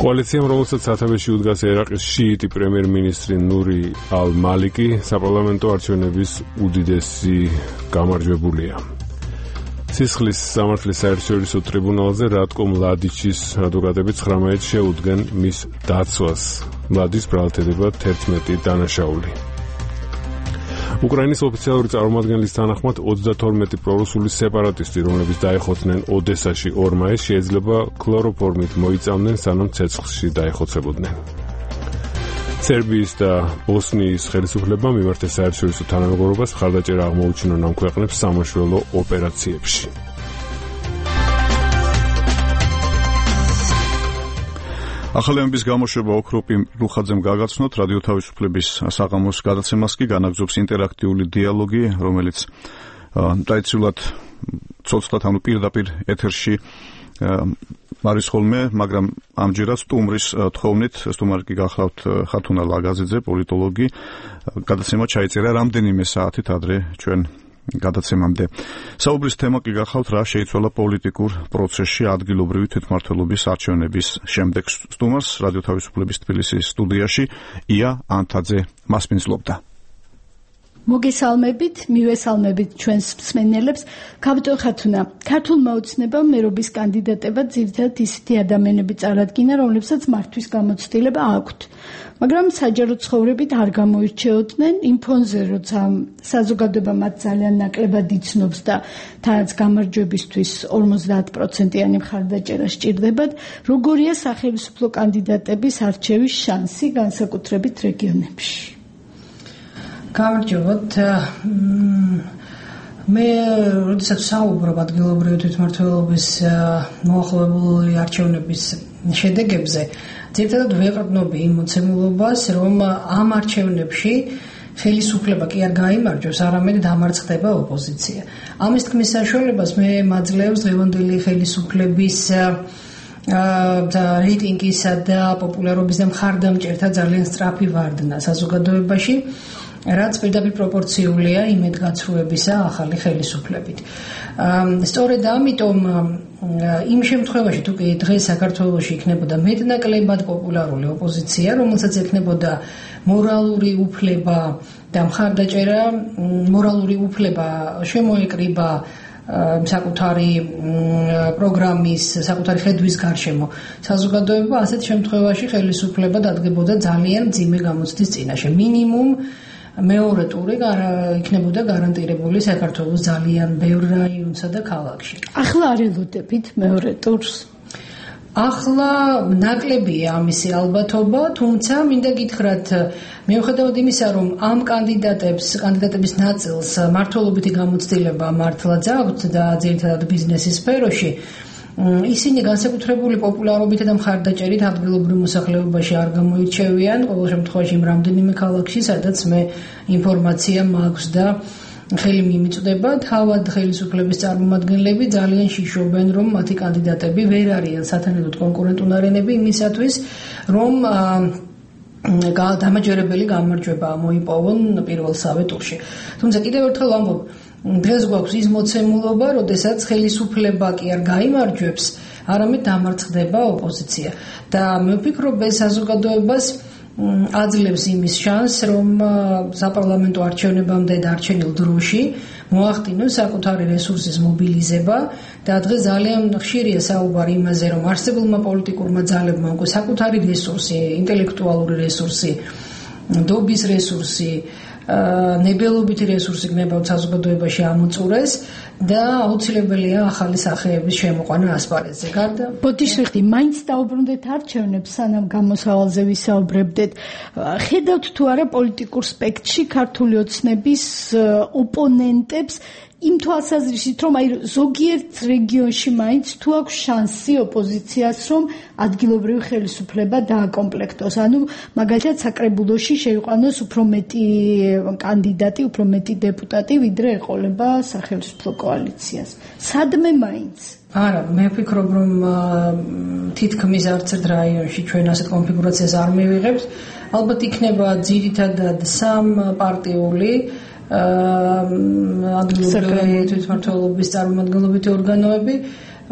კოალიციამ, რომელსაც სათავეში უდგას ერაყის შიიტი პრემიერ-მინისტრი ნური ალ-მალიკი, საპარლამენტო არჩევნების უდიდესი გამარჯვებულია. სისხლის სამართლის საერთაშორისო ტრიბუნალზე რატკო მლადიჩის ადვოკატები ცხრამეტს შეუდგენ მის დაცვას. მლადის ბრალდებოდა თერთმეტი დანაშაული. უკრაინის ოფიციალური წარმომადგენლის თანახმად ოცდათორმეტი პრორუსული სეპარატისტი, რომლებიც დაეხოცნენ ოდესაში ორ მაისს, შეიძლება ქლოროფორმით მოიწამდნენ, სანამ ცეცხლში დაეხოცებოდნენ. სერბიის და ბოსნიის ხელისუფლებამ მიმართეს საერთაშორისო თანამეგობრობას, მხარდაჭერა აღმოუჩინონ ამ ქვეყნებს სამაშველო ოპერაციებში. ახალი ამბების გამოშვება ოქროპირ რუხაძემ გაგაცნოთ. რადიო თავისუფლების საღამოს გადაცემას კი განაგზობს ინტერაქტიული დიალოგი, რომელიც ტრადიციულად ცოცხლად ანუ პირდაპირ ეთერში არის ხოლმე, მაგრამ ამჯერად სტუმრის თხოვნით. სტუმარი კი გახლავთ ხათუნა ლაგაზიძე, პოლიტოლოგი. გადაცემა ჩაიწერა რამდენიმე საათით ადრე ჩვენ გადაცემამდე. საუბრის თემა კი გახლავთ, რა შეიცვალა პოლიტიკურ პროცესში ადგილობრივი თვითმმართველობის არჩევნების შემდეგ. სტუმარს რადიო თავისუფლების თბილისის სტუდიაში ია ანთაძე მასპინძლობდა. მოგესალმებით, მივესალმებით ჩვენს მსმენელებს. კაპიტონ ხათუნა, ქართულმა ოცნებამ მერობის კანდიდატებად ძირითადად ისეთი ადამიანები წარადგინა, რომლებსაც მართვის გამოცდილება აქვთ. მაგრამ საჯარო ცხოვრებით არ გამოირჩეოდნენ იმ ფონზე, როცა საზოგადოება მათ ძალიან ნაკლებად იცნობს და თანაც გამარჯვებისთვის ორმოცდაათ პროცენტიანი მხარდაჭერა სჭირდებათ, როგორია სახელმწიფო კანდიდატების არჩევის შანსი განსაკუთრებით რეგიონებში? გამარჯობათ. მე როდესაც საუბრობ ადგილობრივი თვითმმართველობის მოახლოებული არჩევნების შედეგებზე, ძირითადად ვეყრდნობი იმ მოცემულობას, რომ ამ არჩევნებში ხელისუფლება კი არ გაიმარჯვებს, არამედ დამარცხდება ოპოზიცია. ამის თქმის საშუალებას მე მაძლევს დღევანდელი ხელისუფლების და რეიტინგისა და პოპულარობის და მხარდამჭერთა ძალიან სწრაფი ვარდნა საზოგადოებაში, რაც პირდაპირ პროპორციულია იმედგაცრუებისა ახალი ხელისუფლებით. სწორედ ამიტომ იმ შემთხვევაში თუ კი დღეს საქართველოში იქნებოდა მეტნაკლებად პოპულარული ოპოზიცია, რომელსაც ექნებოდა მორალური უფლება და მხარდაჭერა, მორალური უფლება შემოეკრიბა საკუთარი პროგრამის, საკუთარი ხედვის გარშემო საზოგადოება, ასეთ შემთხვევაში ხელისუფლება დადგებოდა ძალიან მძიმე გამოცდის წინაშე. მინიმუმ მეორე ტური იქნებოდა გარანტირებული საქართველოს ძალიან ბევრ რაიონსა და ქალაქში. ახლა არ ელოდებით მეორე ტურს? ახლა ნაკლებია ამისი ალბათობა, თუმცა მინდა გითხრათ, მიუხედავად იმისა, რომ ამ კანდიდატებს, კანდიდატების ნაწილს მართლობითი გამოცდილება მართლაც აქვთ და ძირითადად ბიზნესის სფეროში, ისინი განსაკუთრებული პოპულარობით და მხარდაჭერით ადგილობრივ მოსახლეობაში არ გამოირჩევიან, ყოველ შემთხვევაში იმ რამდენიმე ქალაქში, სადაც მე ინფორმაცია მაქვს და ხელი მიმიწვდება, თავად ხელისუფლების წარმომადგენლები ძალიან შიშობენ, რომ მათი კანდიდატები ვერ არიან სათანადოდ კონკურენტუნარენები იმისათვის, რომ დამაჯერებელი გამარჯვება მოიპოვონ პირველსავე ტურში. თუმცა კიდევ ერთხელ ვამბობ, დღეს გვაქვს ის მოცემულობა, როდესაც ხელისუფლება კი არ გაიმარჯვებს, არამედ დამარცხდება ოპოზიცია. და მე ვფიქრობ, ეს საზოგადოებას აძლევს იმის შანსს, რომ საპარლამენტო არჩევნებამდე დარჩენილ დროში მოახდინოს საკუთარი რესურსის მობილიზება და დღეს ძალიან ხშირია საუბარი იმაზე, რომ არსებულმა პოლიტიკურმა ძალებმა უკვე საკუთარი რესურსი, ინტელექტუალური რესურსი, დობის რესურსი, ნებელობითი რესურსი გნებავთ საზოგადოებაში ამოწურეს და აუცილებელია ახალი სახეების შემოყვანა ასპარეზზე. გარდა ბოდიშრიხტი, მაინც დაუბრუნდეთ არჩევნებს, სანამ გამოსავალზე ვისაუბრებდეთ. ხედავთ თუ არა პოლიტიკურ სპექტრში ქართული ოცნების ოპონენტებს იმ თვალსაზრისით, რომ აი ზოგიერთ რეგიონში მაინც თუ აქვს შანსი ოპოზიციას, რომ ადგილობრივი ხელისუფლება დააკომპლექტოს. ანუ მაგალითად საკრებულოში შეიყვანოს უფრო მეტი კანდიდატი, უფრო მეტი დეპუტატი, ვიდრე ეყოლება სახელმწიფო კოალიციას. სადმე მაინც? არა, მე ვფიქრობ, რომ თითქმის არც ერთ რაიონში ჩვენ ასეთ კონფიგურაციას არ მივიღებთ. ალბათ იქნება ძირითადად სამპარტიული ადგილობრივი თვითმმართველობის წარმომადგენლობითი ორგანოები.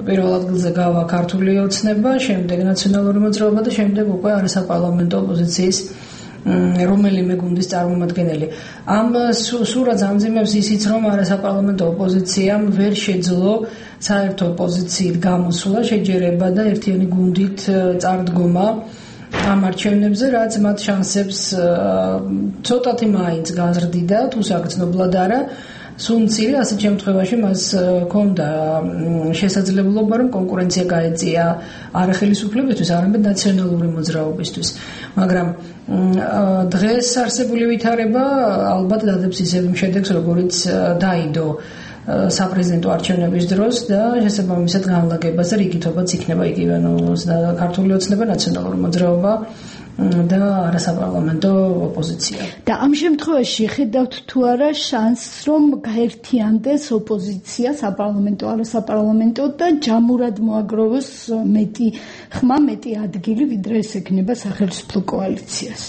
პირველ ადგილზე გავა ქართული ოცნება, შემდეგ ნაციონალური მოძრაობა და შემდეგ უკვე არასაპარლამენტო ოპოზიციის რომელიმე გუნდის წარმომადგენელი. ამ სურათს ამძიმებს ისიც, რომ არასაპარლამენტო ოპოზიციამ ვერ შეძლო საერთო პოზიციით გამოსვლა, შეჯერება და ერთიანი გუნდით წარდგომა ამ არჩევნებზე, რაც მათ შანსებს ცოტათი მაინც გაზრდიდა, თუ საგრძნობლად არა. სუნცილი ასეთ შემთხვევაში მას ჰქონდა შესაძლებლობა, რომ კონკურენცია გაეწია არა ხელისუფლებისთვის, არამედ ნაციონალური მოძრაობისთვის. მაგრამ დღეს არსებული ვითარება ალბათ დადებს ისევ იმ შედეგს, როგორიც დაიდო საპრეზიდენტო არჩევნების დროს და შესაბამისად განლაგებას და რიგითობაც იქნება იგივე, ანუ ქართული ოცნება, ნაციონალური მოძრაობა და არასაპარლამენტო ოპოზიცია. და ამ შემთხვევაში ხედავთ თუ არა შანსს, რომ გაერთიანდეს ოპოზიცია საპარლამენტო, არასაპარლამენტო და ჯამურად მოაგროვოს მეტი ხმა, მეტი ადგილი, ვიდრე ეს ექნება სახელმწიფო კოალიციას?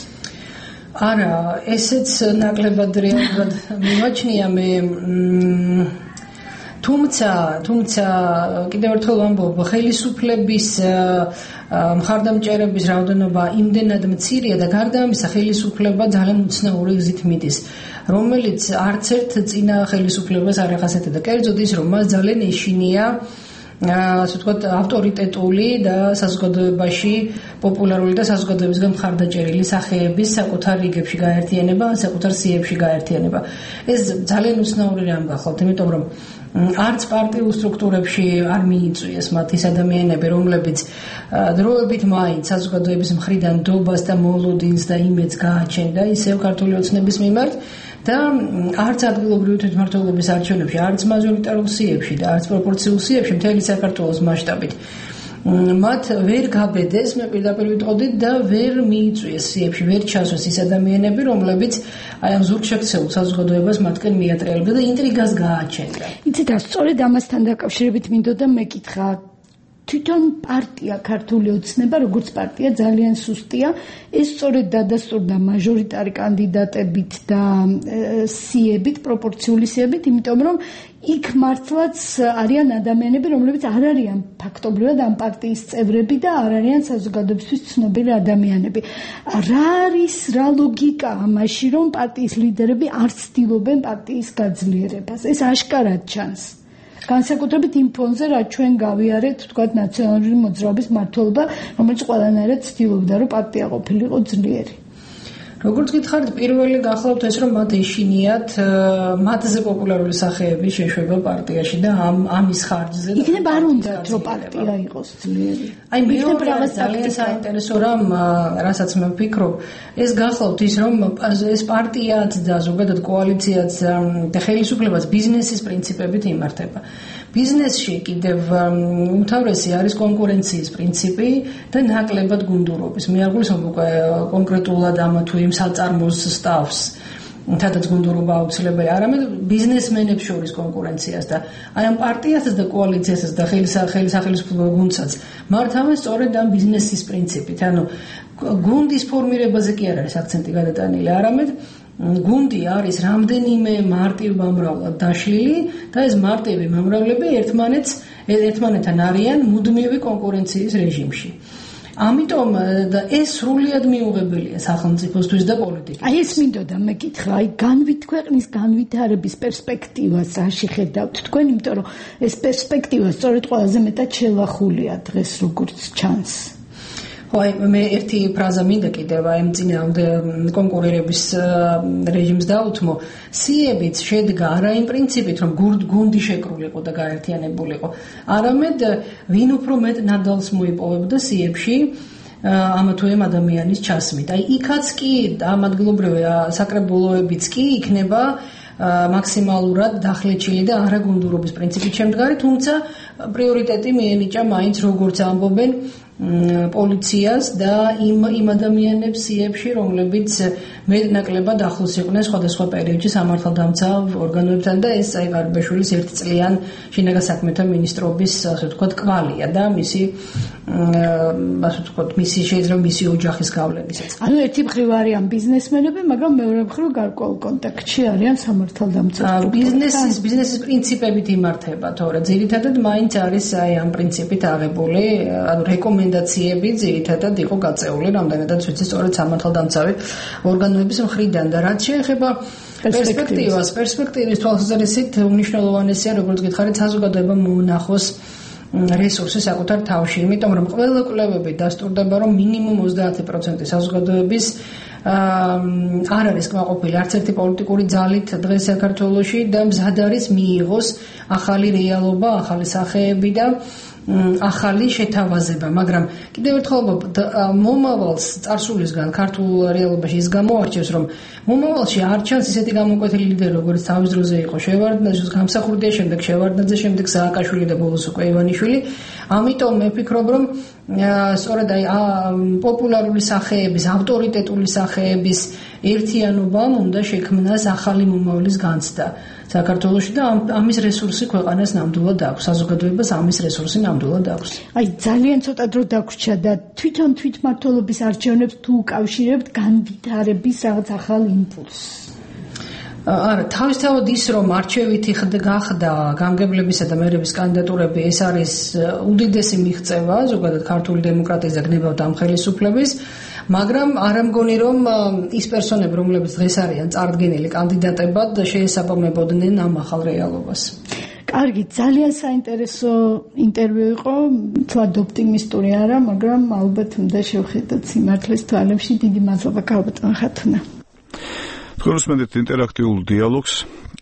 არა, ესეც ნაკლებად რეალურად მიმაჩნია მე. თუმცა, თუმცა კიდევ ერთხელ ვამბობ, ხელისუფლების მხარდამჭერების რაოდენობა იმდენად მცირეა და გარდა ამისა ხელისუფლება ძალიან უცნაური გზით მიდის, რომელიც არც ერთ წინა ხელისუფლებას არ ახასიათებდა. კერძოდ ის, რომ მას ძალიან ეშინია ასე ვთქვათ, ავტორიტეტული და საზოგადოებაში პოპულარული და საზოგადოებისგან მხარდაჭერილი სახეების საკუთარ რიგებში გაერთიანება, საკუთარ სიებში გაერთიანება. ეს ძალიან უცნაური რამ გახლავთ, იმიტომ რომ არც პარტიულ სტრუქტურებში არ მიიწვიეს მათ ის ადამიანები, რომლებიც დროებით მაინც საზოგადოების მხრიდან დობას და მოლოდინს და იმედს გააჩენდა ისევ ქართული ოცნების მიმართ და არც ადგილობრივი თვითმმართველობის არჩევნებში, არც მაჟორიტარულ სიებში და არც პროპორციულ სიებში მთელი საქართველოს მასშტაბით მათ ვერ გაბედეს, მე პირდაპირ ვიტყოდი და ვერ მიიწვიეს სიებში, ვერ ჩასვეს ის ადამიანები, რომლებიც აი ამ ზურგშექცეულ საზოგადოებას მათკენ მიატრიალებდა და ინტრიგას გააჩენდა. იცით, სწორედ ამასთან დაკავშირებით მინდოდა მეკითხა, თვითონ პარტია ქართული ოცნება, როგორც პარტია ძალიან სუსტია, ეს სწორედ დადასტურდა მაჟორიტარი კანდიდატებით და სიებით, პროპორციული სიებით, იმიტომ რომ იქ მართლაც არიან ადამიანები, რომლებიც არ არიან ფაქტობრივად ამ პარტიის წევრები და არ არიან საზოგადოებისთვის ცნობილი ადამიანები. რა არის, რა ლოგიკა ამაში, რომ პარტიის ლიდერები არ ცდილობენ პარტიის გაძლიერებას? ეს აშკარად ჩანს. განსაკუთრებით იმ ფონზე, რაც ჩვენ გავიარეთ, თქვათ, ნაციონალური მოძრაობის მმართველობა, რომელიც ყველანაირად ცდილობდა, რომ პარტია ყოფილიყო ძლიერი. როგორც გითხარით, პირველი გახლავთ ეს, რომ მათ ეშინიათ მათზე პოპულარული სახეების შეშვება პარტიაში და ამ ამის ხარჯზე. იქნება არ უნდათ, რომ პარტია იყოს ძლიერი. აი, მეორე ძალიან საინტერესო რამ, რასაც მე ვფიქრობ, ეს გახლავთ ის, რომ ეს პარტიაც და ზოგადად კოალიციაც და ხელისუფლებაც ბიზნესის პრინციპებით იმართება. ბიზნესში კიდევ უმთავრესი არის კონკურენციის პრინციპი და ნაკლებად გუნდურობის. მე არ გულისხმობ უკვე კონკრეტულად ამ თუ იმ საწარმოს სტაფს, თადაც გუნდურობა აუცილებელი, არამედ ბიზნესმენებს შორის კონკურენციას და აი ამ პარტიასაც და კოალიციასაც და ხელისახელისუფლებო გუნდსაც მართავენ სწორედ ამ ბიზნესის პრინციპით. ანუ გუნდის ფორმირებაზე კი არ არის აქცენტი გადატანილი, არამედ გუნდი არის რამდენიმე მარტივ მომრავლად დაშლილი და ეს მარტივი მომრავლები ერთმანეთს ერთმანეთთან არიან მუდმივი კონკურენციის რეჟიმში. ამიტომ ეს სრულიად მიუღებელია სახელმწიფოსთვის და პოლიტიკისთვის. აი ეს მინდოდა მეკითხა, აი განვით ქვეყნის განვითარების პერსპექტივას რაში ხედავთ თქვენ, იმიტომ რომ ეს პერსპექტივა სწორედ ყველაზე მეტად შელახულია დღეს როგორც ჩანს. აი მე ერთი ფრაზა მინდა კიდევ აი წინააღმდეგ კონკურირების რეჟიმს დაუთმო. სიებიც შედგა არა იმ პრინციპით, რომ გუნდი შეკრულიყო და გაერთიანებულიყო, არამედ ვინ უფრო მეტ ნადალს მოიპოვებდა სიებში ამა თუ იმ ადამიანის ჩასმით. აი იქაც კი ამადგლობრივი საკრებულოებიც კი იქნება მაქსიმალურად დახლეჩილი და არაგუნდურობის პრინციპით შემდგარი, თუმცა პრიორიტეტი მიენიჭა მაინც როგორც ამბობენ პოლიციას და იმ იმ ადამიანებს სიებში, რომლებიც მეტნაკლებად ახლოს იყვნენ სხვადასხვა პერიოდში სამართალდამცავ ორგანოებთან და ეს აი გარბაშვილის ერთწლიან შინაგან საქმეთა მინისტრობის ასე ვთქვათ კვალია და მისი ასე ვთქვათ მისი შეიძლება მისი ოჯახის გავლენისაც. ანუ ერთი მხრივ არიან ბიზნესმენები, მაგრამ მეორე მხრივ გარკვეულ კონტაქტში არიან სამართალდამცავ. ბიზნესის ბიზნესის პრინციპებით იმართება, თორე ძირითადად მაინც არის აი ამ პრინციპით აღებული, ანუ რეკომენდაციები ძირითადად იყო გაწეული, რამდენადაც ვიცი, სწორედ სამართალდამცავი ორგანოების მხრიდან და რაც შეეხება პერსპექტივას, პერსპექტივის თვალსაზრისით უმნიშვნელოვანესია, როგორც გითხარით, საზოგადოებამ მოუნახოს რესურსი საკუთარ თავში, იმიტომ რომ ყველა კვლევები დასტურდება, რომ მინიმუმ ოცდაათი პროცენტი საზოგადოების არ არის კმაყოფილი არც ერთი პოლიტიკური ძალით დღეს საქართველოში და მზად არის მიიღოს ახალი რეალობა, ახალი სახეები და ახალი შეთავაზება, მაგრამ კიდევ ერთხელ მომავალს წარსულისგან ქართულ რეალობაში ის გამოარჩევს, რომ მომავალში არ ჩანს ისეთი გამოკვეთილი ლიდერი, როგორც თავის დროზე იყო შევარდნაძე, გამსახურდია, შემდეგ შევარდნაძე, შემდეგ სააკაშვილი და ბოლოს უკვე ივანიშვილი. ამიტომ მე ვფიქრობ, რომ სწორედ აი პოპულარული სახეების, ავტორიტეტული სახეების ერთიანობამ უნდა შექმნას ახალი მომავლის განცდა საქართველოში და ამის რესურსი ქვეყანას ნამდვილად აქვს, საზოგადოებას ამის რესურსი ნამდვილად აქვს. აი ძალიან ცოტა დრო დაგვრჩა და თვითონ თვითმმართველობის არჩევნებს თუ უკავშირებთ განვითარების რაღაც ახალ იმპულსს. არა, თავისთავად ის რომ არჩევითი გახდა გამგებლებისა და მერების კანდიდატურები, ეს არის უდიდესი მიღწევა ზოგადად ქართული დემოკრატიის და გნებავთა ამ ხელისუფლების, მაგრამ არ ამგონი რომ ის პერსონები, რომლებიც დღეს არიან წარდგენილი კანდიდატებად, შეესაბამებოდნენ ამ ახალ რეალობას. კარგი, ძალიან საინტერესო ინტერვიუ იყო, თვად ოპტიმისტური არა, მაგრამ ალბათ უნდა შევხედოთ სიმართლის თვალებში. დიდი მადლობა ქალბატონ ხათუნა. თქვენს ინტერაქტიულ დიალოგს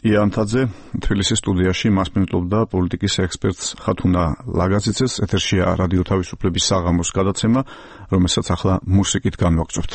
იანთაძე თბილისის სტუდიაში მასპინძლობდა პოლიტიკის ექსპერტს ხათუნა ლაგაძიძეს. ეთერშია რადიო თავისუფლების საღამოს გადაცემა, რომელსაც ახლა მუსიკით განვაგრძობთ.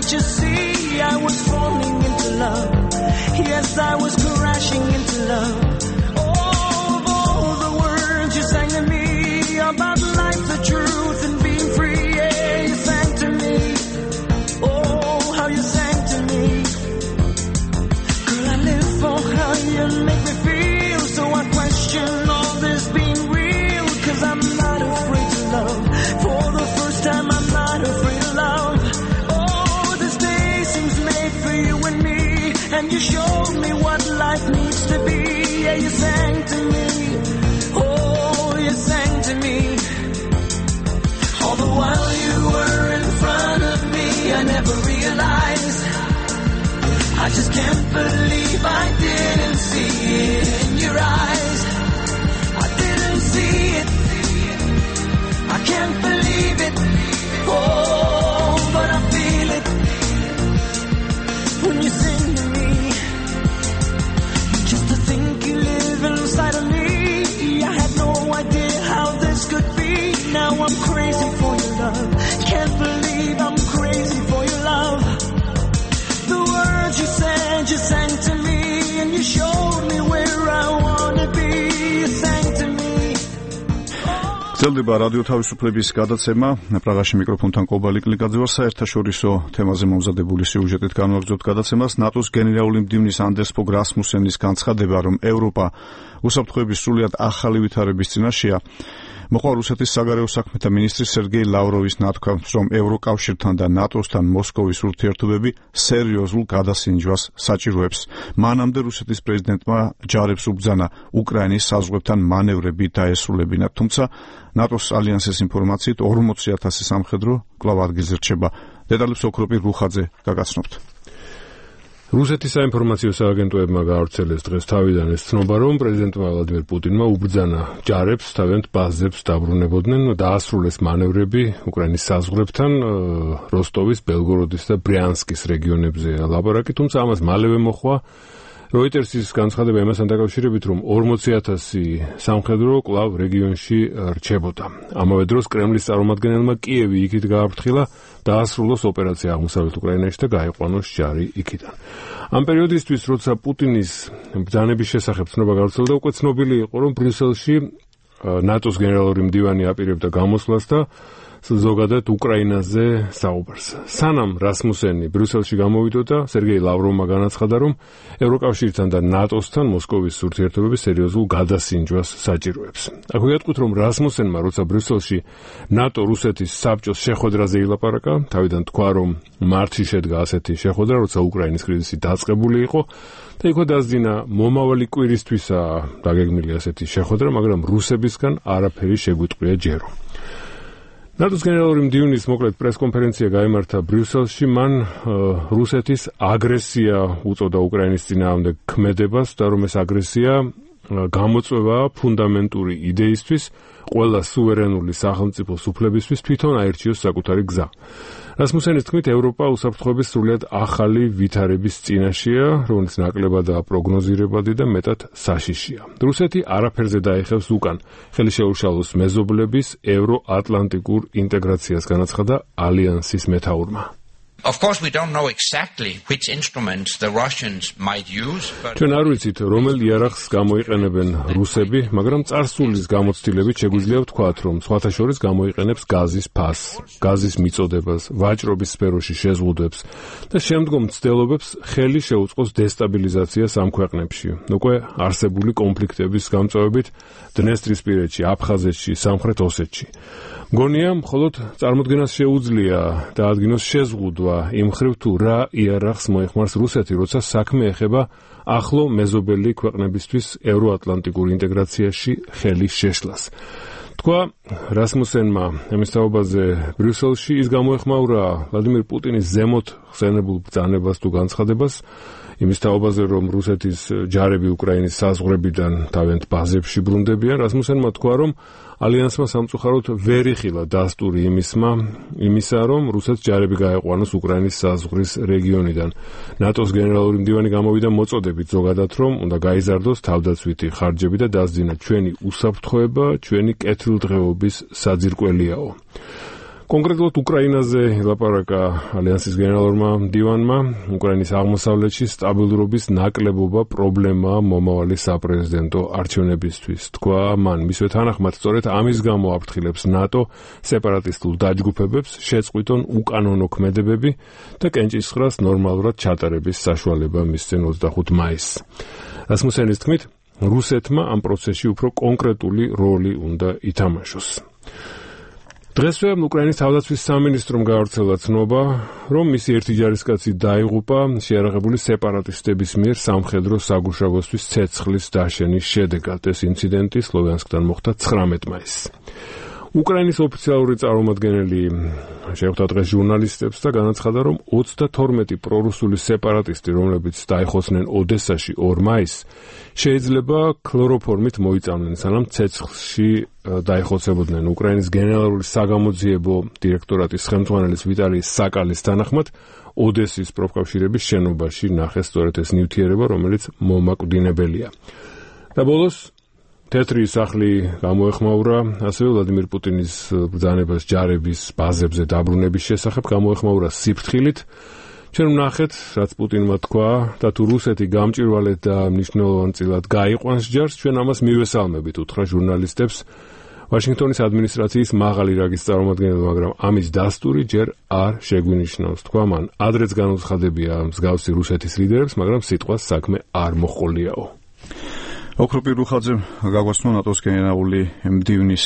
You see, I was falling into love. Yes, I was crashing into love. All of all the words you sang to me about life, the truth, and being free. Yeah, you sang to me. Oh, how you sang to me. Girl, I live for how you make me feel. So I question all this being real. Cause I'm not afraid to love. For the first time, I'm not afraid to love. You and me, and you showed me what life needs to be. Yeah, you sang to me. Oh, you sang to me. All the while you were in front of me, I never realized. I just can't believe I didn't see it in your eyes. I didn't see it. I can't believe it. Oh, but I feel it. When you sing to me, just to think you live inside of me, I had no idea how this could be. Now I'm crazy for your love. Can't believe I'm crazy for your love. The გრძელდება რადიო თავისუფლების გადაცემა. პრაღაში მიკროფონთან კობალი კლიკაძე ვარ. საერთაშორისო თემაზე მომზადებული სიუჟეტით განვაგრძობთ გადაცემას. ნატოს გენერალური მდივნის ანდერს ფოგ რასმუსენის განცხადება, რომ ევროპა უსაფრთხოების სრულიად ახალი ვითარების წინაშეა, მოყვა რუსეთის საგარეო საქმეთა მინისტრის სერგეი ლავროვის ნათქვამს, რომ ევროკავშირთან და ნატოსთან მოსკოვის ურთიერთობები სერიოზულ გადასინჯვას საჭიროებს. მანამდე რუსეთის პრეზიდენტმა ჯარებს უბრძანა უკრაინის საზღვრებთან მანევრები დაესრულებინათ, თუმცა ნატოს ალიანსის ინფორმაციით ორმოცი ათასი სამხედრო კვლავ ადგილზე რჩება. დეტალებს ოქროპი რუხაძე გაგაცნობთ. რუსეთის საინფორმაციო სააგენტოებმა გაავრცელეს დღეს თავიდან ეს ცნობა, რომ პრეზიდენტმა ვლადიმერ პუტინმა უბრძანა ჯარებს თავიანთ ბაზებს დაბრუნებოდნენ, დაასრულეს მანევრები უკრაინის საზღვრებთან, როსტოვის, ბელგოროდის და ბრიანსკის რეგიონებზე ლაპარაკი, თუმცა ამას მალევე მოხვა როიტერსის განცხადება იმასთან დაკავშირებით, რომ ორმოცი ათასი სამხედრო კვლავ რეგიონში რჩებოდა. ამავე დროს კრემლის წარმომადგენელმა კიევი იქით გააფრთხილა დაასრულოს ოპერაცია აღმოსავლეთ უკრაინაში და გაიყვანოს ჯარი იქიდან. ამ პერიოდისთვის, როცა პუტინის ბრძანების შესახებ ცნობა გავრცელდა, უკვე ცნობილი იყო, რომ ბრიუსელში ნატოს გენერალური მდივანი აპირებდა გამოსვლას და ზოგადად უკრაინაზე საუბარს. სანამ რასმუსენი ბრიუსელში გამოვიდოდა, სერგეი ლავროვმა განაცხადა, რომ ევროკავშირთან და ნატოსთან მოსკოვის ურთიერთობები სერიოზულ გადასინჯვას საჭიროებს. აქ ვიატყვით, რომ რასმუსენმა, როცა ბრიუსელში ნატო რუსეთის საბჭოს შეხვედრაზე ილაპარაკა, თავიდან თქვა, რომ მარტში შედგა ასეთი შეხვედრა, როცა უკრაინის კრიზისი დაწყებული იყო და იქვე დასძინა მომავალი კვირისთვისაა დაგეგმილი ასეთი შეხვედრა, მაგრამ რუსებისგან არაფერი შეგვიტყვია ჯერო. ნატოს გენერალური მდივნის მოკლედ პრესკონფერენცია გაიმართა ბრიუსელში, მან რუსეთის აგრესია უწოდა უკრაინის წინააღმდეგ ქმედებას და რომ ეს აგრესია გამოწვევაა ფუნდამენტური იდეისთვის, ყველა სუვერენული სახელმწიფოს უფლებისთვის თვითონ აირჩიოს საკუთარი გზა. რასმუსენის თქმით, ევროპა უსაფრთხოების სრულიად ახალი ვითარების წინაშეა, რომელიც ნაკლებადაა პროგნოზირებადი და მეტად საშიშია. რუსეთი არაფერზე დაეხევს უკან ხელი შეუშალოს მეზობლების ევროატლანტიკურ ინტეგრაციას, განაცხადა ალიანსის მეთაურმა. Of course, we don't know exactly which instruments the Russians might use, but ჩვენ არ ვიცით, რომელ იარაღს გამოიყენებენ რუსები, მაგრამ წარსულის გამოცდილებით შეგვიძლია ვთქვათ, რომ სხვათა შორის გამოიყენებს გაზის ფასს, გაზის მიწოდებას, ვაჭრობის სფეროში შეზღუდვებს და შემდგომ მცდელობებს ხელი შეუწყოს დესტაბილიზაციას ამ ქვეყნებში. უკვე არსებული კონფლიქტების გამწვევებით დნესტრისპირეთში, აფხაზეთში, სამხრეთ ოსეთში. მგონია, მხოლოდ წარმოდგენას შეუძლია დაადგინოს შეზღუდვა იმ ხრივ თუ რა იარაღს მოიხმარს რუსეთი, როცა საქმე ეხება ახლო მეზობელი ქვეყნებისთვის ევროატლანტიკურ ინტეგრაციაში ხელის შეშლას. თქვა რასმუსენმა ამის თაობაზე ბრიუსელში, ის გამოეხმაურა ვლადიმერ პუტინის ზემოთ ხსენებულ ბრძანებას თუ განცხადებას იმის თაობაზე, რომ რუსეთის ჯარები უკრაინის საზღვრებიდან თავიანთ ბაზებში ბრუნდებიან. რასმუსენმა თქვა, რომ ალიანსმა სამწუხაროდ ვერ იხილა დასტური იმისმა, იმისა, რომ რუსეთს ჯარები გაეყვანოს უკრაინის საზღვრის რეგიონიდან. ნატოს გენერალური მდივანი გამოვიდა მოწოდებით ზოგადად, რომ უნდა გაიზარდოს თავდაცვითი ხარჯები და დასძინა ჩვენი უსაფრთხოება, ჩვენი კეთილდღეობის საძირკველიაო. კონკრეტულად უკრაინაზე ილაპარაკა ალიანსის გენერალურმა მდივანმა, უკრაინის აღმოსავლეთში სტაბილურობის ნაკლებობა პრობლემაა მომავალი საპრეზიდენტო არჩევნებისთვის. თქვა მან, მისვე თანახმად, სწორედ ამის გამო აფრთხილებს ნატო სეპარატისტულ დაჯგუფებებს, შეწყვიტონ უკანონო ქმედებები და კენჭისყრას ნორმალურად ჩატარების საშუალება მისცენ ოცდახუთ მაისს. რასმუსენის თქმით, რუსეთმა ამ პროცესში უფრო კონკრეტული როლი უნდა ითამაშოს. დღესვე უკრაინის თავდაცვის სამინისტრომ გაავრცელა ცნობა, რომ მისი ერთი ჯარისკაცი დაიღუპა შეიარაღებული სეპარატისტების მიერ სამხედრო საგუშაგოსთვის ცეცხლის დაშენის შედეგად. ეს ინციდენტი სლოვიანსკთან მოხდა ცხრამეტ მაისს. უკრაინის ოფიციალური წარმომადგენელი შეხვდა დღეს ჟურნალისტებს და განაცხადა, რომ ოცდათორმეტი პრორუსული სეპარატისტი, რომლებიც დაიხოცნენ ოდესაში ორ მაისს, შეიძლება ქლოროფორმით მოიწამნენ, სანამ ცეცხლში დაიხოცებოდნენ. უკრაინის გენერალური საგამოძიებო დირექტორატის ხელმძღვანელის ვიტალი საკალის თანახმად, ოდესის პროფკავშირების შენობაში ნახეს სწორედ ეს ნივთიერება, რომელიც მომაკვდინებელია. და ბოლოს თეთრი სახლი გამოეხმაურა ასევე ვლადიმერ პუტინის ბრძანებას ჯარების ბაზებზე დაბრუნების შესახებ, გამოეხმაურა სიფრთხილით. ჩვენ ვნახეთ, რაც პუტინმა თქვა და თუ რუსეთი გამჭვირვალედ და მნიშვნელოვანწილად გაიყვანს ჯარს, ჩვენ ამას მივესალმებით, უთხრა ჟურნალისტებს ვაშინგტონის ადმინისტრაციის მაღალი რანგის წარმომადგენელი, მაგრამ ამის დასტური ჯერ არ შეგვინიშნავს. თქვა მან, ადრეც განუცხადებია მსგავსი რუსეთის ლიდერებს, მაგრამ სიტყვას საქმე არ მოჰყოლიაო. ოქროპირ რუხაძემ გაგვაცნო ნატოს გენერალური მდივნის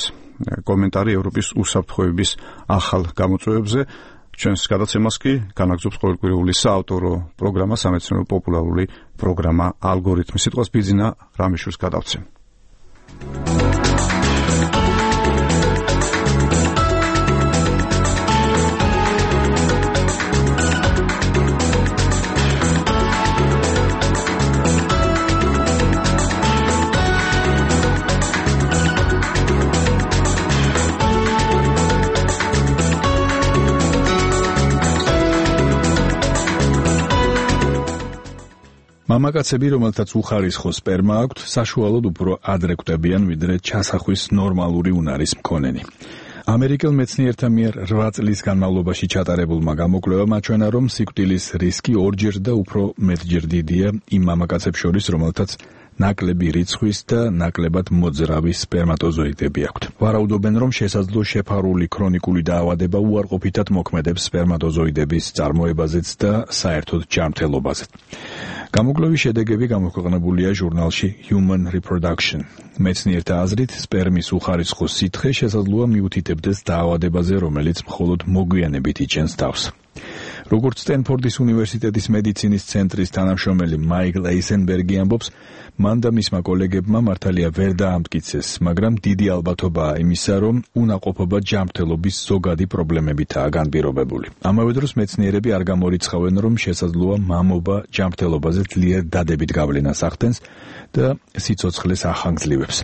კომენტარი ევროპის უსაფრთხოების ახალ გამოწვევებზე. ჩვენს გადაცემას კი განაგზობს ყოველკვირეული საავტორო პროგრამა, სამეცნიერო პოპულარული პროგრამა ალგორითმი. სიტყვას ბიძინა რამიშვილს გადავცემ. მამაკაცები, რომელთაც უხარისხო სპერმა აქვთ, საშუალოდ უფრო ადრე კვდებიან, ვიდრე ჩასახვის ნორმალური უნარის მქონენი. ამერიკელ მეცნიერთა მიერ რვა წლის განმავლობაში ჩატარებულმა გამოკვლევამ აჩვენა, რომ სიკვდილის რისკი ორჯერ და უფრო მეტჯერ დიდია იმ მამაკაცებს შორის, რომელთაც ნაკლები რიცხვის და ნაკლებად მოძრავი სპერმატოზოიდები აქვთ. ვარაუდობენ, რომ შესაძლო შეფარული ქრონიკული დაავადება უარყოფითად მოქმედებს სპერმატოზოიდების წარმოებაზეც და საერთოდ ჯანმრთელობაზეც. გამოკვლევის შედეგები გამოქვეყნებულია ჟურნალში Human Reproduction. მეცნიერთა აზრით, სპერმის უხარისხო სითხე შესაძლოა მიუთითებდეს დაავადებაზე, რომელიც მხოლოდ მოგვიანებით იჩენს თავს. როგორც სტენფორდის უნივერსიტეტის მედიცინის ცენტრის თანამშრომელი მაიკლ ეისენბერგი ამბობს, მან და მისმა კოლეგებმა მართალია ვერ დაამტკიცეს, მაგრამ დიდი ალბათობაა იმისა, რომ უნაყოფობა ჯანმრთელობის ზოგადი პრობლემებითაა განპირობებული. ამავე დროს მეცნიერები არ გამორიცხავენ, რომ შესაძლოა მამობა ჯანმრთელობაზე ძლიერ დადებით გავლენას ახდენს და სიცოცხლეს ახანგრძლივებს,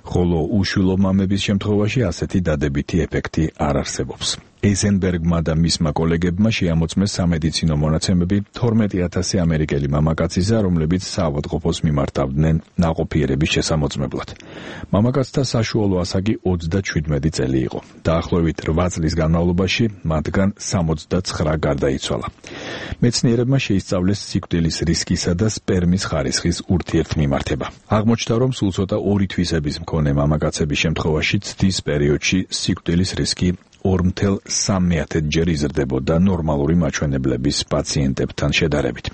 ხოლო უშვილო მამების შემთხვევაში ასეთი დადებითი ეფექტი არ არსებობს. ეიზენბერგმა და მისმა კოლეგებმა შეამოწმეს სამედიცინო მონაცემები თორმეტი ათასი ამერიკელი მამაკაცისა, რომლებიც საავადმყოფოს მიმართავდნენ ნაყოფიერების შესამოწმებლად. მამაკაცთა საშუალო ასაკი ოცდაშვიდმეტი წელი იყო. დაახლოებით რვა წლის განმავლობაში მათგან სამოცდაცხრა გარდაიცვალა. მეცნიერებმა შეისწავლეს სიკვდილის რისკისა და სპერმის ხარისხის ურთიერთმიმართება. აღმოჩნდა, რომ სულ ცოტა ორი თვისების მქონე მამაკაცების შემთხვევაში ცდის პერიოდში სიკვდილის რისკი ორ მთელ სამმეათჯერ იზრდებოდა ნორმალური მაჩვენებლების პაციენტებთან შედარებით.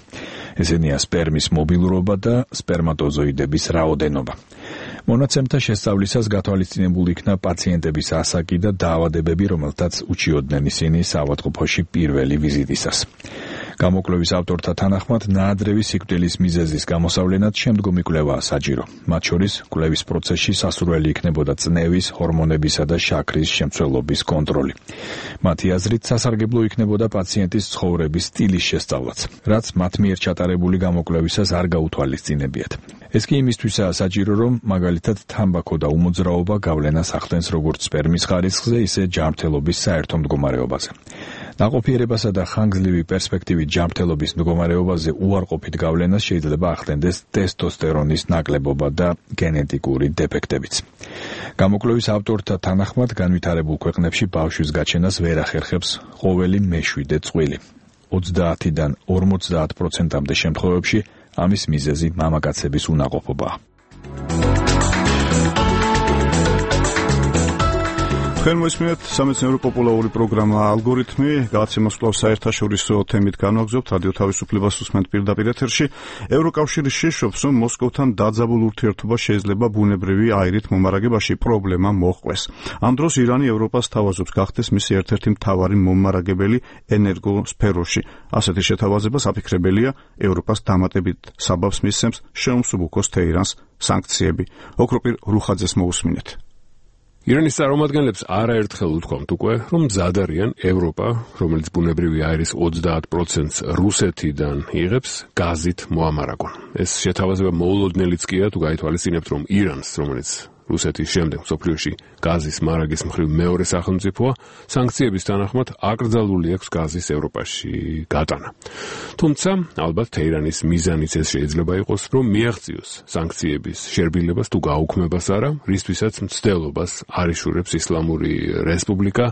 ესენია სპერმის მობილურობა და სპერმატოზოიდების რაოდენობა. მონაცემთა შესწავლისას გათვალისწინებული იქნა პაციენტების ასაკი და დაავადებები, რომელთაც უჩიოდნენ ისინი საავადმყოფოში პირველი ვიზიტისას. გამოკვლევის ავტორთა თანახმად, ნაადრევი სიკვდილის მიზეზის გამოსავლენად შემდგომი კვლევაა საჭირო. მათ შორის კვლევის პროცესში სასურველი იქნებოდა წნევის, ჰორმონებისა და შაქრის შემცველობის კონტროლი. მათი აზრით, სასარგებლო იქნებოდა პაციენტის ცხოვრების სტილის შესწავლაც, რაც მათ მიერ ჩატარებული გამოკვლევისას არ გაუთვალისწინებიათ. ეს კი იმისთვისაა საჭირო, რომ მაგალითად თამბაქო და უმოძრაობა გავლენას ახდენს როგორც სპერმის ხარისხზე, ისე ჯანმრთელობის საერთო მდგომარეობაზე. ნაყოფიერებასა და ხანგრძლივი პერსპექტივით ჯანმრთელობის მდგომარეობაზე უარყოფით გავლენას შეიძლება ახდენდეს ტესტოსტერონის ნაკლებობა და გენეტიკური დეფექტებიც. გამოკვლევის ავტორთა თანახმად, განვითარებულ ქვეყნებში ბავშვის გაჩენას ვერ ახერხებს ყოველი მეშვიდე წყვილი. ოცდაათიდან ორმოცდაათ პროცენტამდე შემთხვევებში ამის მიზეზი მამაკაცების უნაყოფობაა. თქვენ მოისმინეთ სამეცნიერო პოპულარული პროგრამა ალგორითმი, გადაცემას კვლავ საერთაშორისო თემით განვაგრძობთ, რადიო თავისუფლებას უსმენთ პირდაპირ ეთერში. ევროკავშირი შეშობს, რომ მოსკოვთან დაძაბულ ურთიერთობა შეიძლება ბუნებრივი აირით მომარაგებაში პრობლემა მოჰყვეს. ამ დროს ირანი ევროპას თავაზობს გახდეს მისი ერთ-ერთი მთავარი მომარაგებელი ენერგოსფეროში. ასეთი შეთავაზება საფიქრებელია, ევროპას დამატებით საბაბს მისცემს შეუმსუბუქოს თეირანს სანქციები. ოქროპირ რუხაძეს მოусმინეთ. ირანის წარმომადგენლებს არაერთხელ უთქვამთ უკვე, რომ მზად არიან ევროპა, რომელიც ბუნებრივი აირის ოცდაათ პროცენტს რუსეთიდან იღებს, გაზით მოამარაგონ. ეს შეთავაზება მოულოდნელიც კია, თუ გაითვალისწინებთ, რომ ირანს, რომელიც რუსეთის შემდეგ მსოფლიოში გაზის მარაგის მხრივ მეორე სახელმწიფოა, სანქციების თანახმად აკრძალული აქვს გაზის ევროპაში გატანა. თუმცა, ალბათ თეირანის მიზანიც ეს შეიძლება იყოს, რომ მიაღწიოს სანქციების შერბილებას თუ გაუქმებას არა, რისთვისაც მცდელობას არ იშურებს ისლამური რესპუბლიკა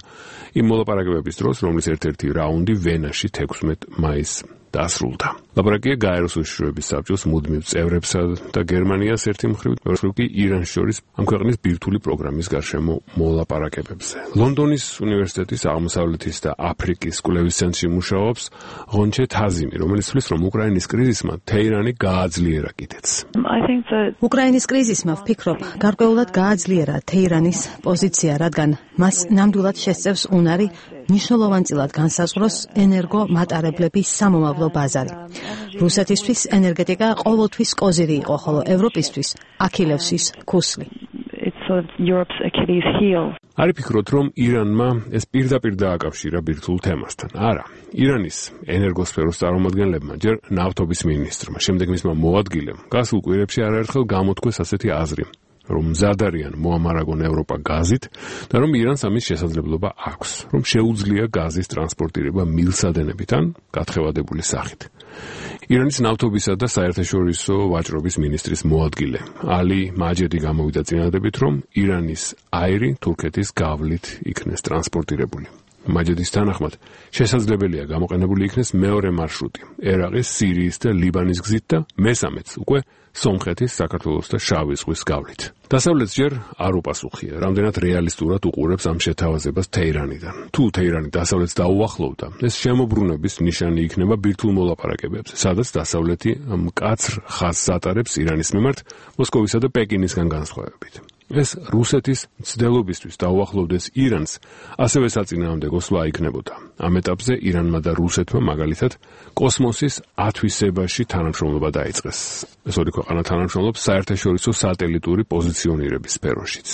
იმ მოლაპარაკებების დროს, რომლის ერთ-ერთი რაუნდი ვენაში თექვსმეტ მაისს დასრულდა. ლაპარაკია გაეროს უშიშროების საბჭოს მუდმივ წევრებსა და გერმანიას ერთი მხრივ, მეორე მხრივ კი ირანს შორის ამ ქვეყნის ბირთვული პროგრამის გარშემო მოლაპარაკებებზე. ლონდონის უნივერსიტეტის აღმოსავლეთის და აფრიკის კვლევის ცენტრში მუშაობს ღონჩე თაზიმი, რომელიც თვლის, რომ უკრაინის კრიზისმა თეირანი გააძლიერა კიდეც. უკრაინის კრიზისმა ვფიქრობ, გარკვეულად გააძლიერა თეირანის პოზიცია, რადგან მას ნამდვილად შესწევს უნარი მნიშვნელოვანწილად განსაზღვროს ენერგომატარებლების სამომავლო ბაზარი. რუსეთისთვის ენერგეტიკა ყოველთვის კოზირი იყო, ხოლო ევროპისთვის აქილევსის ქუსლი. არ ფიქრობთ, რომ ირანმა ეს პირდაპირ დააკავშირა ბირთვულ თემასთან? არა. ირანის ენერგოსფეროს წარმომადგენლებმა, ჯერ ნავთობის მინისტრმა, შემდეგ მისმა მოადგილემ, გასულ კვირებში არაერთხელ გამოთქვეს ასეთი აზრი, რომ მზად არიან მოამარაგონ ევროპა გაზით და რომ ირანს ამის შესაძლებლობა აქვს, რომ შეუძლია გაზის ტრანსპორტირება მილსადენებით ან გათხევადებული სახით. ირანის ნავთობისა და საერთაშორისო ვაჭრობის მინისტრის მოადგილე ალი მაჯედი გამოვიდა წინადადებით, რომ ირანის აირი თურქეთის გავლით იქნეს ტრანსპორტირებული. მაჯედის თანახმად შესაძლებელია გამოყენებული იქნეს მეორე მარშრუტი ერაყის, სირიის და ლიბანის გზით და მესამეც უკვე სომხეთის, საქართველოს და შავი ზღვის გავლით. დასავლეთს ჯერ არ უპასუხია, რამდენად რეალისტურად უყურებს ამ შეთავაზებას თეირანიდან. თუ თეირანი დასავლეთს დაუახლოვდა, ეს შემოbrunების ნიშანი იქნება ბირთვულ მოლაპარაკებებზე, სადაც დასავლეთი მკაცრ ხაზს ატარებს ირანის მიმართ მოსკოვისა და პეკინისგან განსხვავებით. ეს რუსეთის მცდელობისთვის დაუახლოვდეს ირანს, ასევე საწინააღმდეგო სვლა იქნებოდა. ამ ეტაპზე ირანმა და რუსეთმა მაგალითად კოსმოსის ათვისებაში თანამშრომლობა დაიწყეს. ეს ორი ქვეყანა თანამშრომლობს საერთაშორისო სატელიტური პოზიციონირების სფეროშიც.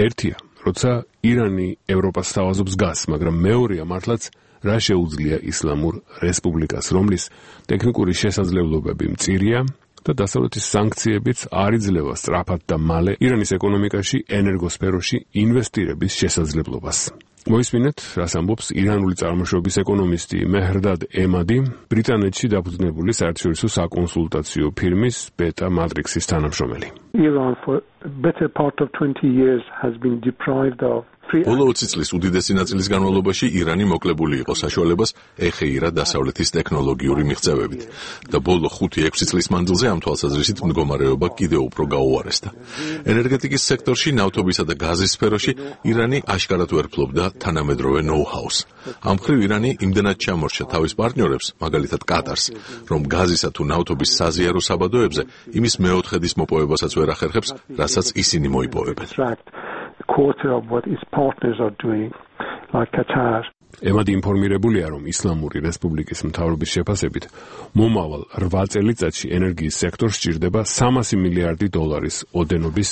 ერთია, როცა ირანი ევროპას სთავაზობს გაზს, მაგრამ მეორეა მართლაც რა შეუძლია ისლამურ რესპუბლიკას, რომლის ტექნიკური შესაძლებლობები მწირია და დასავლეთის სანქციებიც არ იძლევა სწრაფად და მალე ირანის ეკონომიკაში ენერგოსფეროში ინვესტირების შესაძლებლობას. მოისმინეთ, რას ამბობს ირანული წარმოშობის ეკონომისტი მეჰრდად ემადი, ბრიტანეთში დაფუძნებული საერთაშორისო საკონსულტაციო ფირმის Beta Matrix-ის თანამშრომელი. Iran for a better part of twenty years has been deprived of ბოლო ოცი წლის უდიდესი ნაწილის განმავლობაში ირანი მოკლებული იყო საშუალებას ეხეირა დასავლეთის ტექნოლოგიური მიღწევებით და ბოლო ხუთი ექვსი წლის მანძილზე ამ თვალსაზრისით მდგომარეობა კიდევ უფრო გაუარესდა. ენერგეტიკის სექტორში, ნავთობისა და გაზის სფეროში ირანი აშკარად ვერ ფლობდა თანამედროვე ნოუ-ჰაუს. ამ მხრივ ირანი იმდენად ჩამორჩა თავის პარტნიორებს, მაგალითად კატარს, რომ გაზისა თუ ნავთობის საზიარო საბადოებზე იმის მეოთხედის მოპოვებასაც ვერ ახერხებს, რასაც ისინი მოიპოვებენ. quarter of what its partners are doing, like Qatar. ემადი ინფორმირებულია, რომ ისლამური რესპუბლიკის მთავრობის შეფასებით მომავალ რვა წელიწადში ენერგიის სექტორს სჭირდება სამასი მილიარდი დოლარის ოდენობის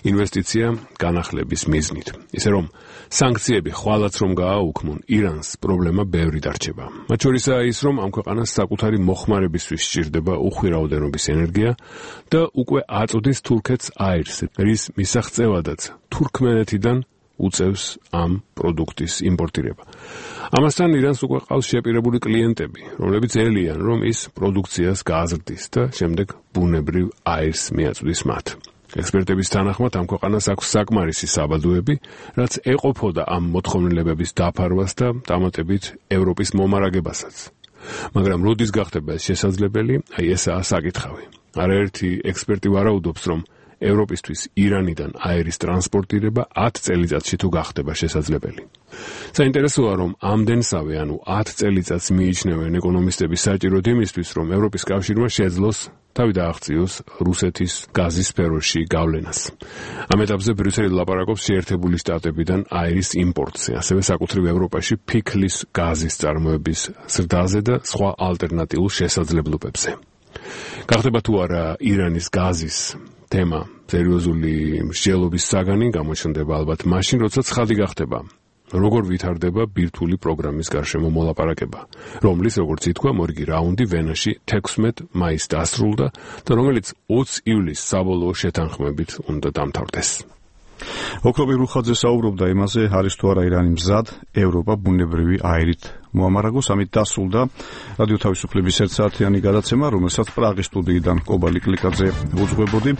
ინვესტიცია განახლების მიზნით. ისე რომ სანქციები ხვალაც რომ გააუქმონ, ირანს პრობლემა ბევრი დარჩება. მათ შორისაა ის, რომ ამ ქვეყანას საკუთარი მოხმარებისთვის სჭირდება უხვირავდენობის ენერგია და უკვე აწოდის თურქეთს აირს, რის მისაღწევადაც თურქმენეთიდან უწევს ამ პროდუქტის იმპორტირება. ამასთან ირანს უკვე ყავს შეპირებული კლიენტები, რომლებიც ელიან, რომ ის პროდუქციას გააზრდის და შემდეგ ბუნებრივ აირს მიაწვდის მათ. ექსპერტების თანახმად ამ ქვეყანას აქვს საკმარისი საბადოები, რაც ეყოფოდა ამ მოთხოვნილებების დაფარვას და დამატებით ევროპის მომარაგებასაც. მაგრამ როდის გახდება ეს შესაძლებელი, აი ესაა საკითხავი. არაერთი ექსპერტი ვარაუდობს, რომ ევროპისთვის ირანიდან აირის ტრანსპორტირება ათ წელიწადში თუ გახდება შესაძლებელი. საინტერესოა, რომ ამდენსავე, ანუ ათ წელიწადს მიიჩნევენ ეკონომისტები საჭიროდ იმისთვის, რომ ევროპის კავშირმა შეძლოს თავი დააღწიოს რუსეთის გაზის სფეროში გავლენას. ამ ეტაპზე ბრიუსელი ლაპარაკობს შეერთებული შტატებიდან აირის იმპორტზე, ასევე საკუთრივ ევროპაში ფიქლის გაზის წარმოების ზრდაზე და სხვა ალტერნატიულ შესაძლებლობებზე. გახდება თუ არა ირანის გაზის თემა სერიოზული მსჯელობის საგანი, გამოჩნდება ალბათ მაშინ, როცა ცხადი გახდება, როგორ ვითარდება ბირთვული პროგრამის გარშემო მოლაპარაკება, რომლის, როგორც ითქვა, მორიგი რაუნდი ვენაში თექვსმეტ მაისს დასრულდა და რომელიც ოცი ივლისს საბოლოო შეთანხმებით უნდა დამთავრდეს. ოქრობი რუხაძე საუბრობდა იმაზე, არის თუ არა ირანი მზად ევროპა ბუნებრივი აირით მოამარაგოს. ამით დასრულდა რადიო თავისუფლების ერთსაათიანი გადაცემა, რომელსაც პრაღის სტუდიიდან კობალი კლიკაძე უძღვებოდი.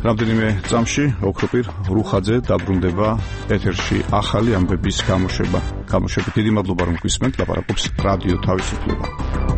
რამდენიმე წამში ოქრობი რუხაძე დაბრუნდება ეთერში ახალი ამბების გამოშვება. გამოშვებით დიდი მადლობა, რომ გვისმენთ. ლაპარაკობს რადიო თავისუფლება.